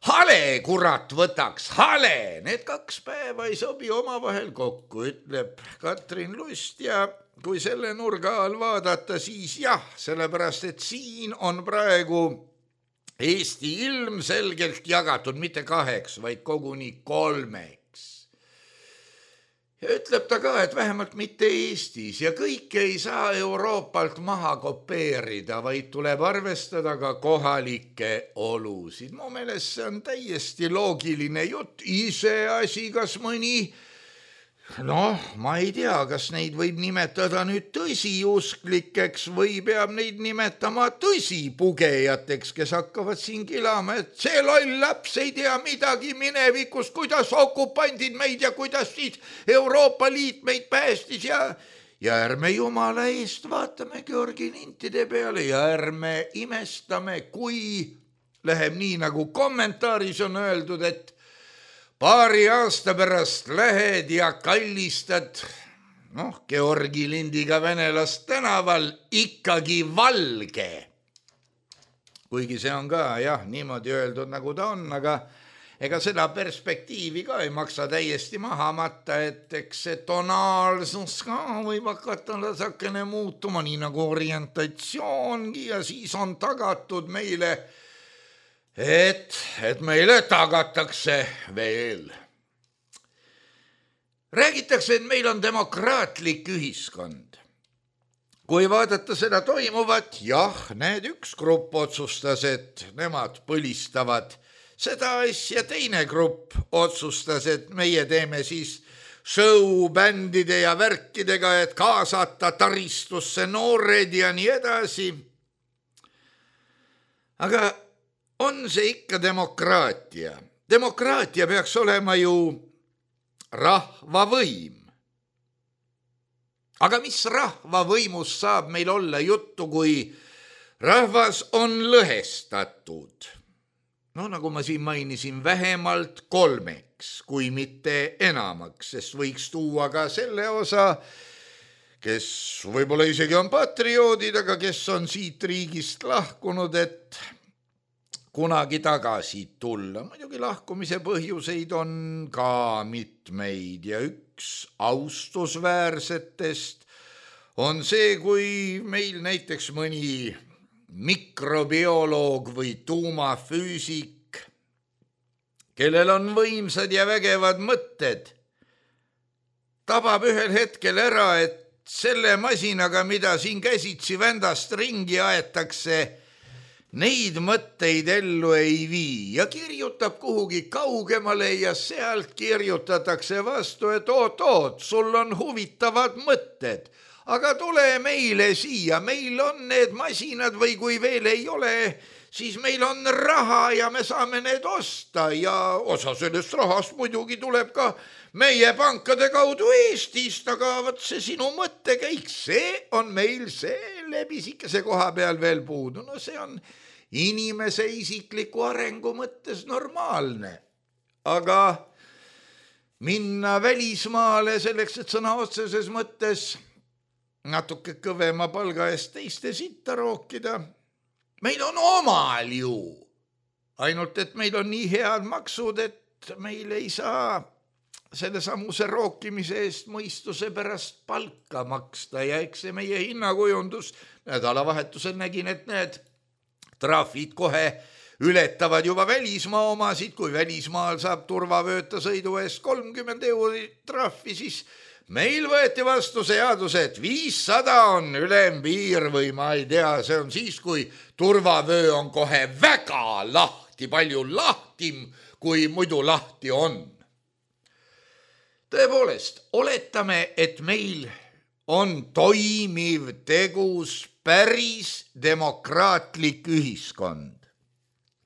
Hale, kurat, võtaks, hale, need 2 päeva ei sobi omavahel kokku, ütleb Katrin Lust ja kui selle nurga all vaadata, siis jah, sellepärast, et siin on praegu Eesti ilmselgelt jagatud mitte 2, vaid koguni 3. Ja ütleb ta ka, et vähemalt mitte Eestis ja kõike ei saa Euroopalt maha kopeerida, vaid tuleb arvestada ka kohalikke olusid. Mu meelest see on täiesti loogiline jutt, iseasi, kas mõni, ma ei tea, kas neid võib nimetada nüüd tõsiusklikeks või peab neid nimetama tõsipugejateks, kes hakkavad siin kilama, et see loll laps ei tea midagi minevikust, kuidas okupandid meid ja kuidas siis Euroopa Liit meid päästis ja ärme jumala eest vaatame Georgi lintide peale ja ärme imestame, kui läheb nii, nagu kommentaaris on öeldud, et paari aasta pärast lähed ja kallistad, Georgi lindiga venelast tänaval ikkagi valge. Kuigi see on ka jah, niimoodi öeldud, nagu ta on, aga ega seda perspektiivi ka ei maksa täiesti maha matta, et eks see tonaalsus ka võib hakata lasakene muutuma, nii nagu orientatsioongi ja siis on tagatud meile, et meile tagatakse veel. Räägitakse, et meil on demokraatlik ühiskond. Kui vaadata seda toimuvat, jah, need üks grupp otsustas, et nemad põlistavad seda asja, teine grupp otsustas, et meie teeme siis show-bändide ja värkidega, et kaasata taristusse noored ja nii edasi. Aga on see ikka demokraatia? Demokraatia peaks olema ju rahvavõim. Aga mis rahvavõimus saab meil olla juttu, kui rahvas on lõhestatud? Nagu ma siin mainisin, vähemalt 3, kui mitte enamaks, sest võiks tuua ka selle osa, kes võib-olla isegi on patrioodid, aga kes on siit riigist lahkunud, et kunagi tagasi tulla. Muidugi lahkumise põhjuseid on ka mitmeid ja üks austusväärsetest on see, kui meil näiteks mõni mikrobioloog või tuumafüüsik, kellel on võimsad ja vägevad mõtted, tabab ühel hetkel ära, et selle masinaga, mida siin käsitsi vändast ringi aetakse, neid mõtteid ellu ei vii ja kirjutab kuhugi kaugemale ja sealt kirjutatakse vastu, et oot, sul on huvitavad mõtted, aga tule meile siia, meil on need masinad või kui veel ei ole, siis meil on raha ja me saame need osta ja osa sellest rahast muidugi tuleb ka meie pankade kaudu Eestist, aga võt see sinu mõttekäik, see on meil selle pisikese koha peal veel puudu. See on inimese isikliku arengu mõttes normaalne, aga minna välismaale selleks, et sõna otseses mõttes natuke kõvema palga eest teiste sitta rookida, meil on omal ju, ainult et meil on nii head maksud, et meil ei saa selle samuse rookimise eest mõistuse pärast palka maksta ja eks see meie hinnakujundus, nädalavahetusel nägin, et need trahvid kohe ületavad juba välismaa omasid, kui välismaal saab turvavööta sõidu eest 30 € trahvi, siis meil võeti vastu seadus, et 500 on ülempiir või ma ei tea, see on siis, kui turvavöö on kohe väga lahti, palju lahtim, kui muidu lahti on. Tõepoolest, oletame, et meil on toimiv, tegus, päris demokraatlik ühiskond.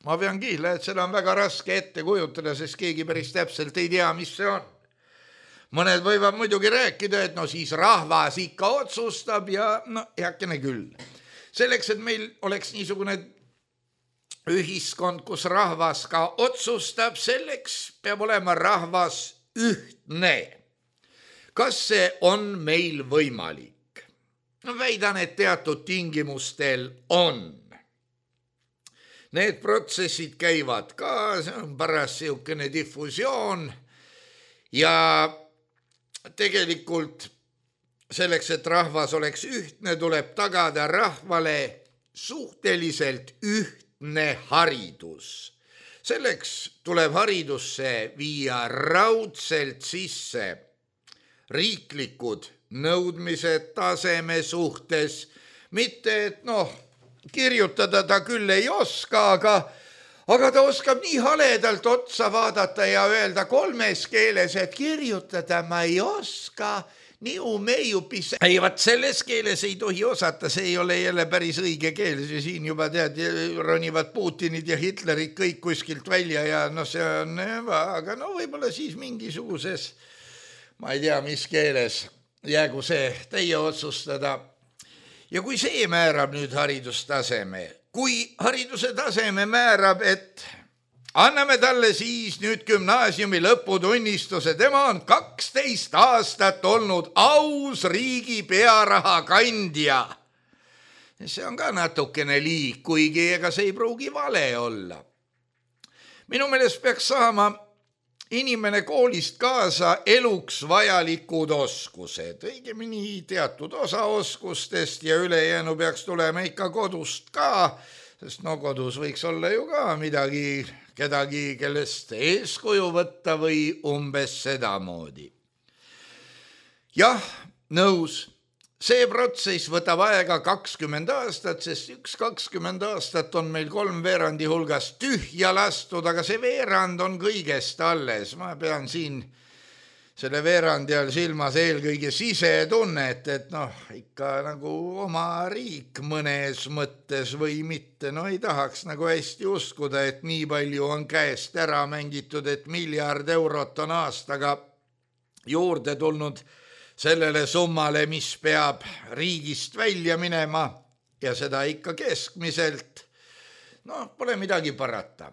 Ma pean kihla, et seda on väga raske ette kujutada, sest keegi päris täpselt ei tea, mis see on. Mõned võivad muidugi rääkida, et no siis rahvas ikka otsustab ja no heakene küll. Selleks, et meil oleks niisugune ühiskond, kus rahvas ka otsustab, selleks peab olema rahvas ühtne. Kas see on meil võimalik? No väidan, et teatud tingimustel on. Need protsessid käivad ka, see on paras siukene difusioon ja tegelikult selleks, et rahvas oleks ühtne, tuleb tagada rahvale suhteliselt ühtne haridus. Selleks tuleb haridusse viia raudselt sisse riiklikud nõudmised taseme suhtes, mitte et kirjutada ta küll ei oska, aga ta oskab nii haledalt otsa vaadata ja öelda 3 keeles, et kirjutada ma ei oska, niu meiupis. Ei, vaat selles keeles ei tohi osata, see ei ole jälle päris õige keel, siin juba tead, ronivad Putinid ja Hitlerid kõik kuskilt välja ja see on, aga võib-olla siis mingisuguses, ma ei tea, mis keeles, jäägu see teie otsustada. Ja kui see määrab nüüd haridustaseme, kui hariduse taseme määrab, et anname talle siis nüüd gümnaasiumi lõputunnistuse, tema on 12 aastat olnud aus riigi pearaha kandja. See on ka natukene liig, kuigi ega see ei pruugi vale olla. Minu meelest peaks saama inimene koolist kaasa eluks vajalikud oskused, õigemini teatud osa oskustest ja ülejäänu peaks tulema ikka kodust ka, sest kodus võiks olla ju ka midagi, kedagi, kellest eeskuju võtta või umbes sedamoodi. Jah, nõus. See protsess võtab aega 20 aastat, sest 20 aastat on meil 3/4 hulgas tühja lastud, aga see veerand on kõigest alles. Ma pean siin selle veerandi all silmas eelkõige sisetunnet, et ikka nagu oma riik mõnes mõttes või mitte. Ei tahaks nagu hästi uskuda, et nii palju on käest ära mängitud, et 1 miljard eurot on aastaga juurde tulnud sellele summale, mis peab riigist välja minema ja seda ikka keskmiselt. Pole midagi parata.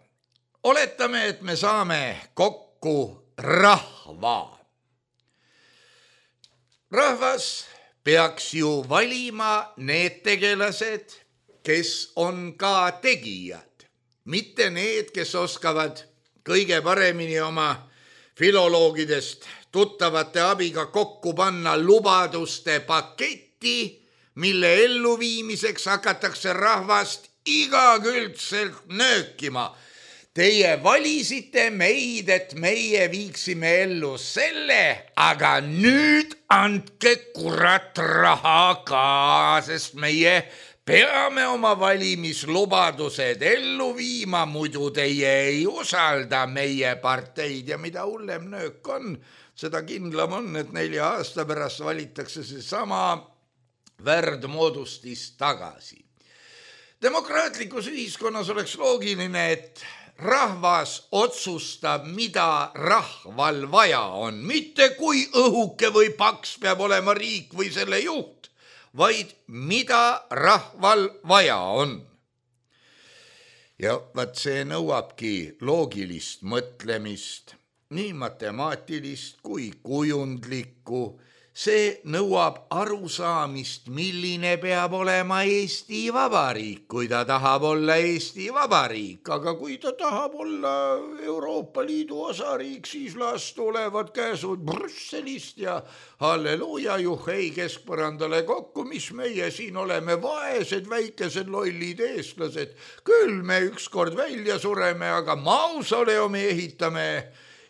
Oletame, et me saame kokku rahva. Rahvas peaks ju valima need tegelased, kes on ka tegijad, mitte need, kes oskavad kõige paremini oma filoloogidest tuttavate abiga kokku panna lubaduste paketti, mille elluviimiseks hakatakse rahvast igakülgselt nöökima. Teie valisite meid, et meie viiksime ellu selle, aga nüüd andke kurat raha ka, sest meie peame oma valimislubadused ellu viima, muidu teie ei usalda meie parteid ja mida hullem nöök on, seda kindlam on, et 4 aasta pärast valitakse see sama värdmoodustis tagasi. Demokraatlikus ühiskonnas oleks loogiline, et rahvas otsustab, mida rahval vaja on, mitte kui õhuke või paks peab olema riik või selle juht, vaid mida rahval vaja on. Ja vaat see nõuabki loogilist mõtlemist, nii matemaatilist kui kujundlikku. See nõuab arusaamist, milline peab olema Eesti Vabariik, kui ta tahab olla Eesti Vabariik, aga kui ta tahab olla Euroopa Liidu osariik, siis las tulevad käsud Brüsselist ja halleluuja, juhhei keskpõrandale kokku, mis meie siin oleme vaesed, väikesed lollid eestlased. Küll me ükskord välja sureme, aga mausoleumi ehitame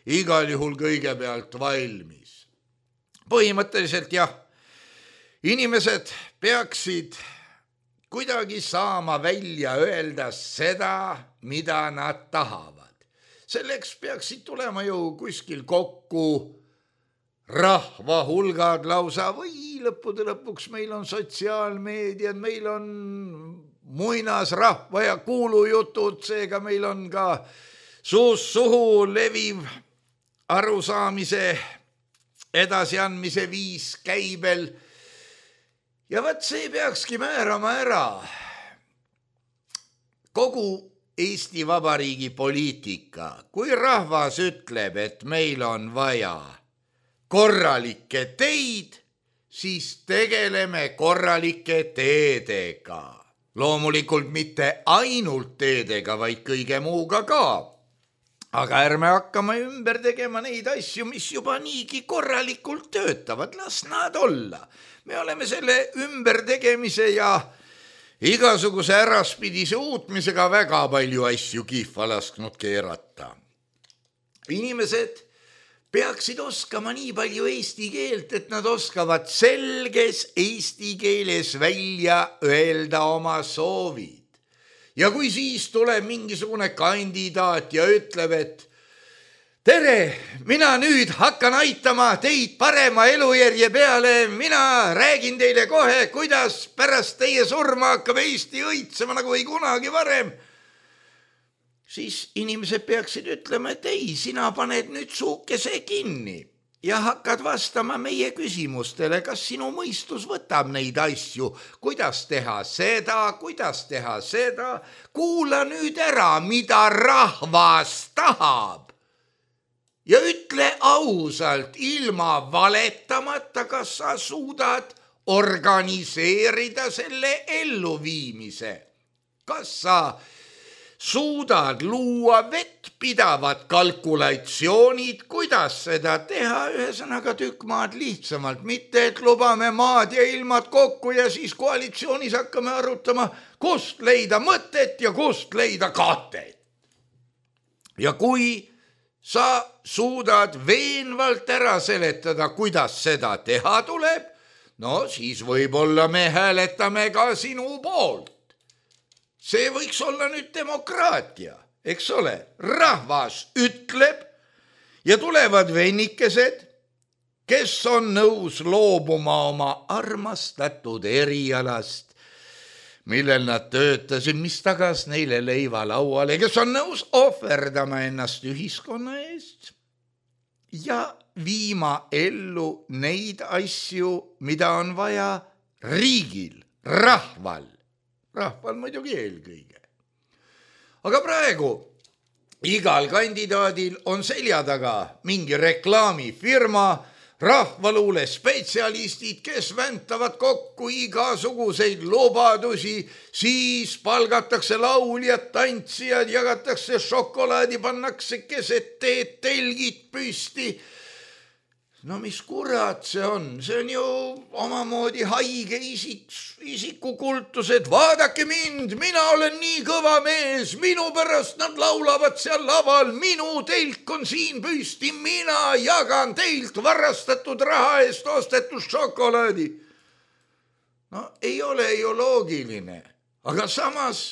igal juhul kõigepealt valmis. Põhimõtteliselt jah, inimesed peaksid kuidagi saama välja öelda seda, mida nad tahavad. Selleks peaksid tulema ju kuskil kokku rahva hulgad lausa või lõppude lõpuks meil on sotsiaalmeediad, meil on muinasrahva ja kuulujutud, seega meil on ka suust suhu leviv arusaamise edasiandmise viis käibel. Ja võt see peakski määrama ära kogu Eesti Vabariigi poliitika. Kui rahvas ütleb, et meil on vaja korralikke teid, siis tegeleme korralike teedega. Loomulikult mitte ainult teedega, vaid kõige muuga ka. Aga ärme hakkame ümber tegema neid asju, mis juba niigi korralikult töötavad. Las nad olla. Me oleme selle ümbertegemise ja igasuguse äraspidise uutmisega väga palju asju kihva lasknud keerata. Inimesed peaksid oskama nii palju eesti keelt, et nad oskavad selges eesti keeles välja öelda oma soovid. Ja kui siis tuleb mingisugune kandidaat ja ütleb, et tere, mina nüüd hakkan aitama teid parema elujärje peale, mina räägin teile kohe, kuidas pärast teie surma hakkab Eesti õitsema nagu ei kunagi varem, siis inimesed peaksid ütlema, et ei, sina paned nüüd suukese kinni ja hakkad vastama meie küsimustele, kas sinu mõistus võtab neid asju, kuidas teha seda, kuula nüüd ära, mida rahvas tahab ja ütle ausalt, ilma valetamata, kas sa suudad organiseerida selle elluviimise, kas sa suudad luua vettpidavad kalkulatsioonid, kuidas seda teha, ühesõnaga tükk maad lihtsamalt, mitte et lubame maad ja ilmad kokku ja siis koalitsioonis hakkame arutama, kust leida mõtet ja kust leida katet. Ja kui sa suudad veenvalt ära seletada, kuidas seda teha tuleb, no siis võib-olla me hääletame ka sinu poolt. See võiks olla nüüd demokraatia, eks ole, rahvas ütleb ja tulevad vennikesed, kes on nõus loobuma oma armastatud erialast, millel nad töötasid, mis tagas neile leiva lauale, kes on nõus ohverdama ennast ühiskonna eest ja viima ellu neid asju, mida on vaja riigil, rahval muidugi eelkõige. Aga praegu igal kandidaadil on selja taga mingi reklaamifirma, rahvaluule spetsialistid, kes väntavad kokku igasuguseid lubadusi, siis palgatakse lauljad, tantsijad, jagatakse šokolaadi, pannakse keset teed, telgid püsti. No mis kurat see on? See on ju omamoodi haige isikukultus, et vaadake mind, mina olen nii kõva mees, minu pärast nad laulavad seal laval, minu telk on siin püsti, mina jagan teilt varastatud raha eest ostetud šokolaadi. No ei ole ju loogiline, aga samas,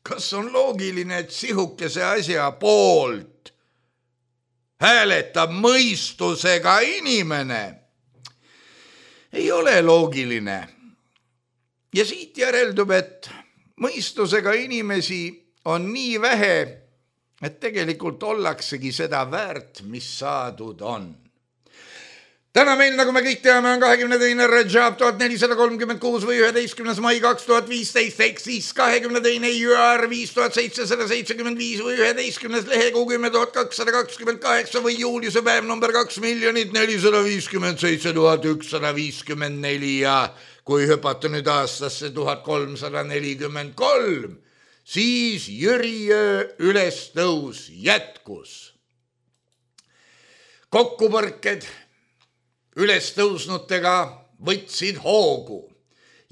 kas on loogiline, et sihukese asja poolt hääletab mõistusega inimene? Ei ole loogiline. Ja siit järeldub, et mõistusega inimesi on nii vähe, et tegelikult ollaksegi seda väärt, mis saadud on. Täna meil, nagu me kõik teame, on 22. Rajab 1436 või 11. mai 2015, ehk siis 22. jüar 5775 või 11. lehekuu 10.228 või juuliuse päev number 2,457,154 ja kui hüpata nüüd aastasse 1343, siis Jüriöö ülestõus jätkus. Kokkupõrked ülestõusnutega võtsid hoogu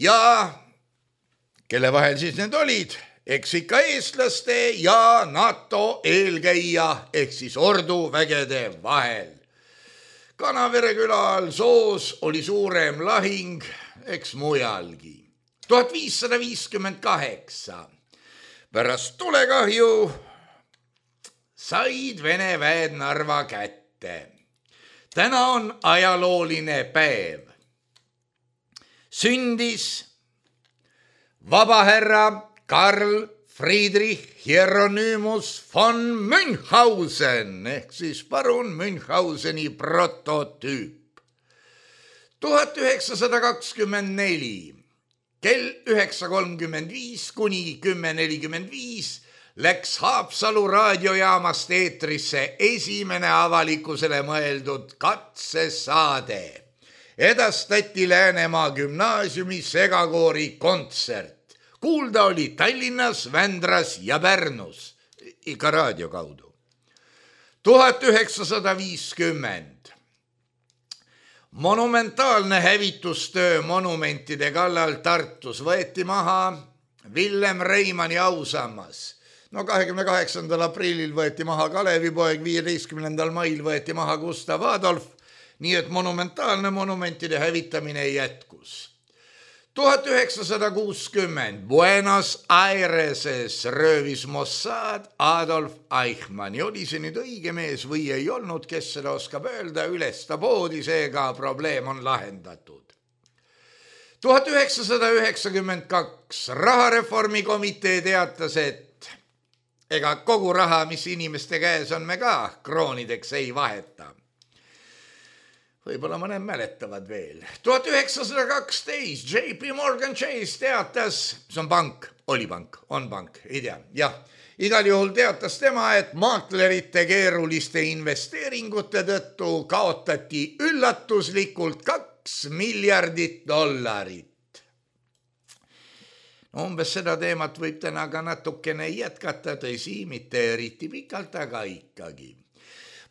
ja kelle vahel siis need olid, eks ikka eestlaste ja NATO eelkäija ehk siis orduvägede vahel. Kanavere küla all Soos oli suurem lahing, eks mujalgi. 1558 pärast tulekahju said Vene väed Narva kätte. Täna on ajalooline päev. Sündis vabahärra Karl Friedrich Hieronymus von Münchhausen ehk siis parun Münchhauseni prototüüp. 1924 kell 9.35 kuni 10.45 läks Haapsalu raadiojaamast eetrisse esimene avalikkusele mõeldud katsesaade. Edastati Läänemaa gümnaasiumi segakoori kontsert. Kuulda oli Tallinnas, Vändras ja Pärnus, ikka raadio kaudu. 1950 monumentaalne hävitustöö monumentide kallal Tartus võeti maha Villem Reimanni ausammas. 28. aprillil võeti maha Kalevipoeg, 15. mail võeti maha Gustav Adolf, nii et monumentaalne monumentide hävitamine jätkus. 1960 Buenos Aireses röövis Mossad Adolf Eichmanni. Oli see nüüd õige mees või ei olnud, kes seda oskab öelda, üles ta poodi, seega probleem on lahendatud. 1992 rahareformi komitee teatas, et ega kogu raha, mis inimeste käes on, me ka kroonideks ei vaheta. Võib-olla mõned mäletavad veel. 1912 JP Morgan Chase teatas, see on pank, oli pank, on pank, ei tea, jah. Igal juhul teatas tema, et maaklerite keeruliste investeeringute tõttu kaotati üllatuslikult $2 miljardit. Umbes seda teemat võib täna ka natukene jätkata, tõsi, mitte eriti pikalt, aga ikkagi.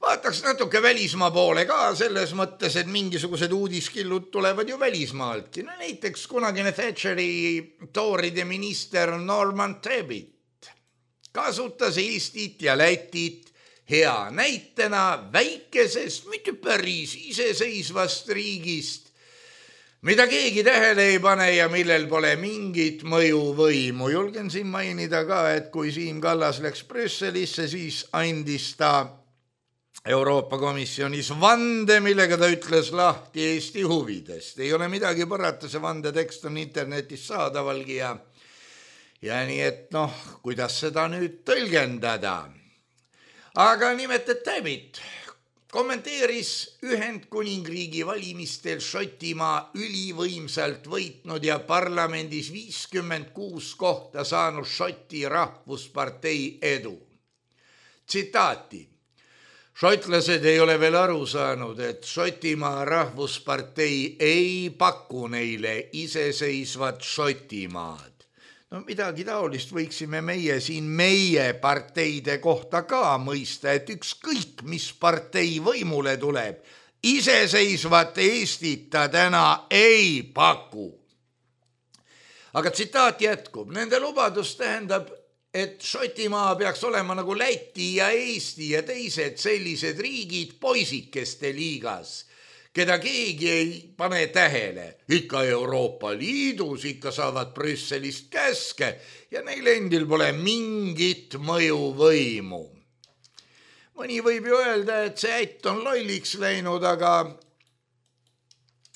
Vaataks natuke välismaa poole ka selles mõttes, et mingisugused uudiskillud tulevad ju välismaaltki. Näiteks kunagine Thatcheri tooride minister Norman Tebbit kasutas Eestit ja Lätit hea näitena väikesest, mitte päris iseseisvast riigist, mida keegi tähele ei pane ja millel pole mingit mõjuvõimu. Julgen siin mainida ka, et kui Siim Kallas läks Brüsselisse, siis andis ta Euroopa Komisjonis vande, millega ta ütles lahti Eesti huvidest. Ei ole midagi parata, see vandetekst on internetis saadavalgi ja nii et kuidas seda nüüd tõlgendada. Aga nimelt, et Tebbit kommenteeris Ühendkuningriigi valimistel Šotimaa ülivõimsalt võitnud ja parlamendis 56 kohta saanud Šoti rahvuspartei edu. Tsitaati. Šotlased ei ole veel aru saanud, et Šotimaa rahvuspartei ei paku neile iseseisvat Šotimaad. Midagi taolist võiksime meie siin meie parteide kohta ka mõista, et ükskõik, mis partei võimule tuleb, iseseisvat Eestit ta täna ei paku. Aga tsitaat jätkub. Nende lubadus tähendab, et Šotimaa peaks olema nagu Läti ja Eesti ja teised sellised riigid poisikeste liigas, keda keegi ei pane tähele. Ikka Euroopa Liidus, ikka saavad Brüsselist käske ja neil endil pole mingit mõjuvõimu. Mõni võib ju öelda, et see ätt on lolliks läinud,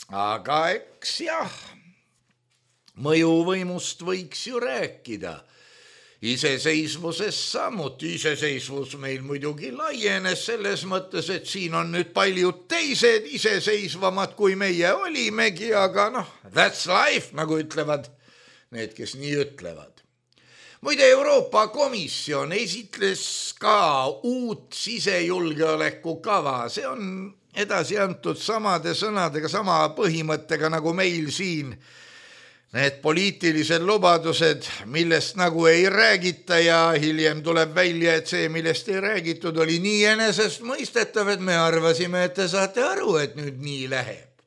aga eks jah, mõjuvõimust võiks ju rääkida. Iseseisvuses samuti. Iseseisvus meil muidugi laienes selles mõttes, et siin on nüüd paljud teised iseseisvamad kui meie olimegi, aga that's life, nagu ütlevad need, kes nii ütlevad. Muide, Euroopa Komisjon esitles ka uut sisejulgeoleku kava. See on edasi antud samade sõnadega, sama põhimõttega nagu meil siin. Need poliitilised lubadused, millest nagu ei räägita ja hiljem tuleb välja, et see, millest ei räägitud, oli nii enesest mõistetav, et me arvasime, et te saate aru, et nüüd nii läheb.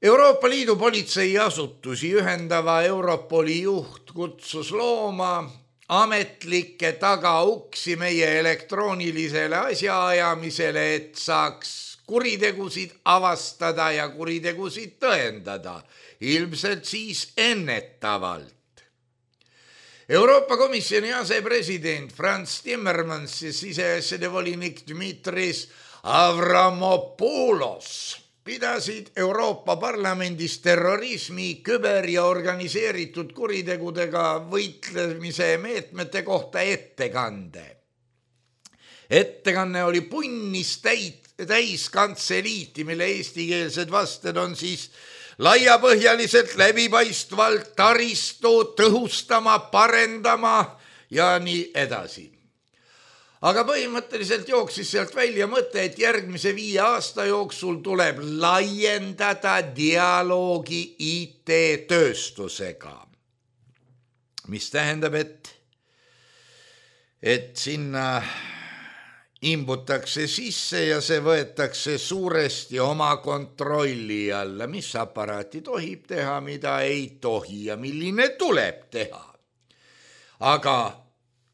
Euroopa Liidu politseiasutusi ühendava Europoli juht kutsus looma ametlikke tagauksi meie elektroonilisele asjaajamisele, et saaks kuritegusid avastada ja kuritegusid tõendada. Ilmselt siis ennetavalt. Euroopa Komisjoni asepresident Franz Timmermans ja siseasjade volinik Dmitris Avramopoulos pidasid Euroopa Parlamendis terrorismi, küber- ja organiseeritud kuritegudega võitlemise meetmete kohta ettekande. Ettekanne oli punnis täis kantseliiti, mille eestikeelsed vasted on siis laiapõhjaliselt, läbipaistvalt taristu tõhustama, parendama ja nii edasi. Aga põhimõtteliselt jooksis sealt välja mõte, et järgmise 5 aasta jooksul tuleb laiendada dialoogi IT-tööstusega. Mis tähendab, et sinna imbutakse sisse ja see võetakse suuresti oma kontrolli alla, mis aparaati tohib teha, mida ei tohi ja milline tuleb teha. Aga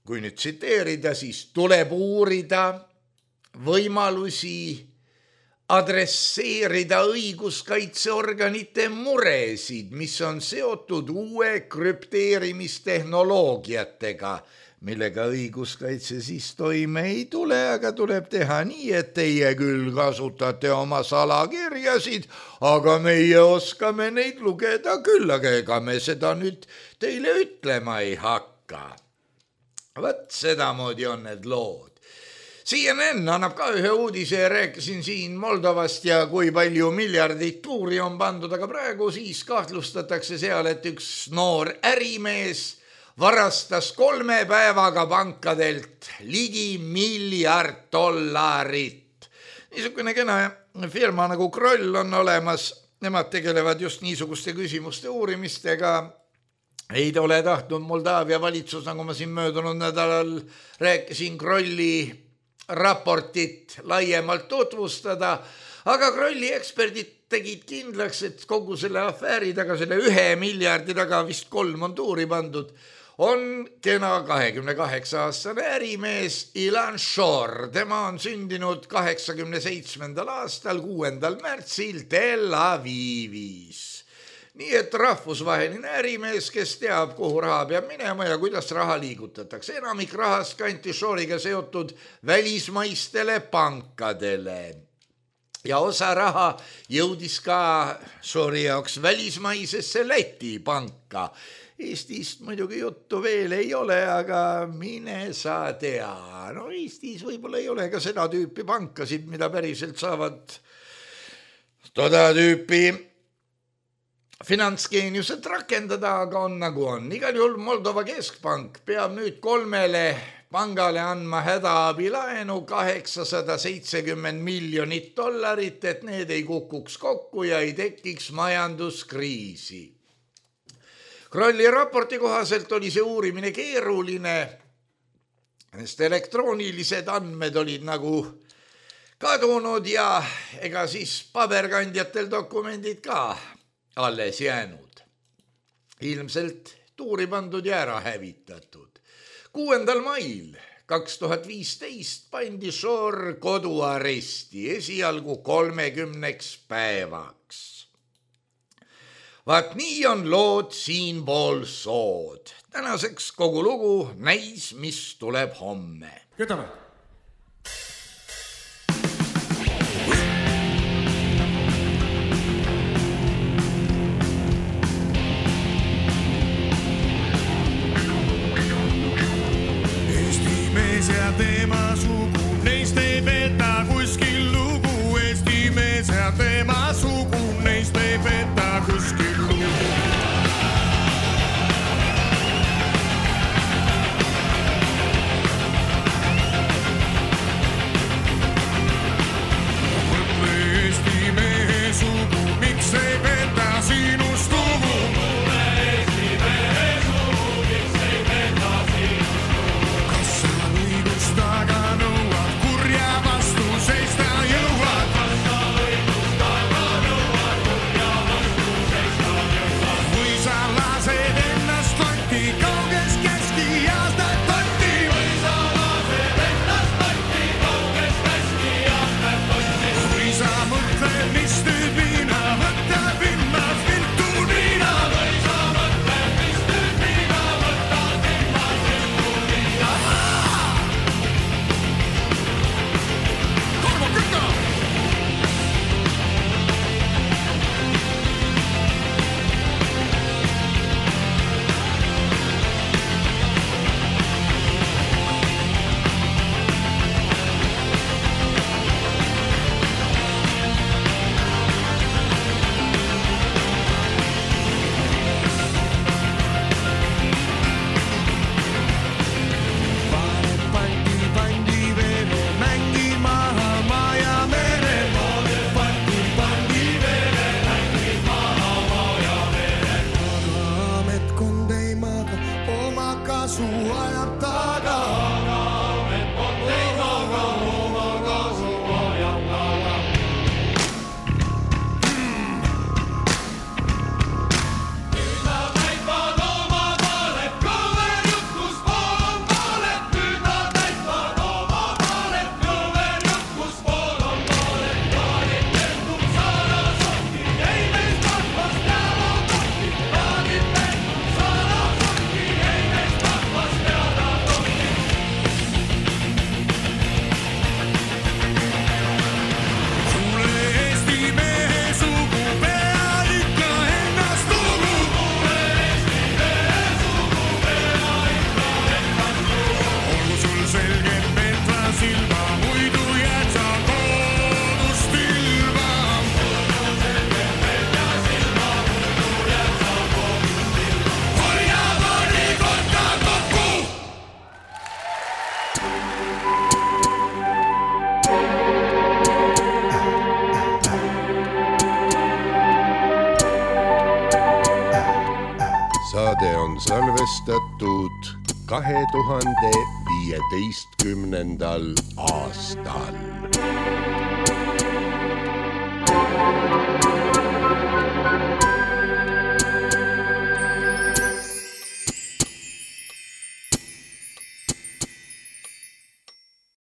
kui nüüd tsiteerida, siis tuleb uurida võimalusi adresseerida õiguskaitseorganite muresid, mis on seotud uue krüpteerimistehnoloogiatega, millega õiguskaitse siis toime ei tule, aga tuleb teha nii, et teie küll kasutate oma salakirjasid, aga meie oskame neid lugeda küll, aga ega me seda nüüd teile ütlema ei hakka. Võt sedamoodi on need lood. CNN annab ka ühe uudise ja rääkisin siin Moldovast ja kui palju miljardeid tuuri on pandud, aga praegu siis kahtlustatakse seal, et üks noor ärimees varastas 3 päevaga pankadelt ligi $1 miljard. Niisugune kena firma nagu Kroll on olemas, nemad tegelevad just niisuguste küsimuste uurimistega. Ei ole tahtnud Moldaavia valitsus, nagu ma siin möödunud nädalal rääkisin, Krolli raportit laiemalt tutvustada, aga Krolli eksperdid tegid kindlaks, et kogu selle afääri taga, selle 1 miljardi taga, vist 3 on tuuri pandud, on kena 28-aastane ärimees Ilan Shor. Tema on sündinud 87. aastal 6. märtsil Tel Avivis. Nii et rahvusvaheline ärimees, kes teab, kuhu raha peab minema ja kuidas raha liigutatakse. Enamik rahast kanti Shoriga seotud välismaistele pankadele. Ja osa raha jõudis ka Shori jaoks välismaisesse Läti panka. Eestist muidugi juttu veel ei ole, aga mine sa tea. No Eestis võib-olla ei ole ka seda tüüpi pankasid, mida päriselt saavad toda tüüpi finantsgeeniused rakendada, aga on nagu on. Igal juhul Moldova keskpank peab nüüd 3 pangale andma hädaabilaenu $870 miljonit, et need ei kukuks kokku ja ei tekiks majanduskriisi. Krolli raporti kohaselt oli see uurimine keeruline, sest elektroonilised andmed olid nagu kadunud ja ega siis paberkandjatel dokumendid ka alles jäänud. Ilmselt tuuri pandud ja ära hävitatud. 6. mail 2015 pandi Shor koduaresti esialgu 30 päevaks. Vaat nii on lood siinpool sood. Tänaseks kogu lugu, näis, mis tuleb homme. Kütame. Ja teema sugu, neist ei peta kuskil lugu. Eesti mees ja teema sugu, neist ei peta kuskil lugu. Mõtle Eesti mehe sugu, miks ei peta sinust lugu? Mulle Eesti mehe sugu, miks ei peta sinust lugu? Kas sa aga nõuad kurja vastu seista? on salvestatud 2015. aastal.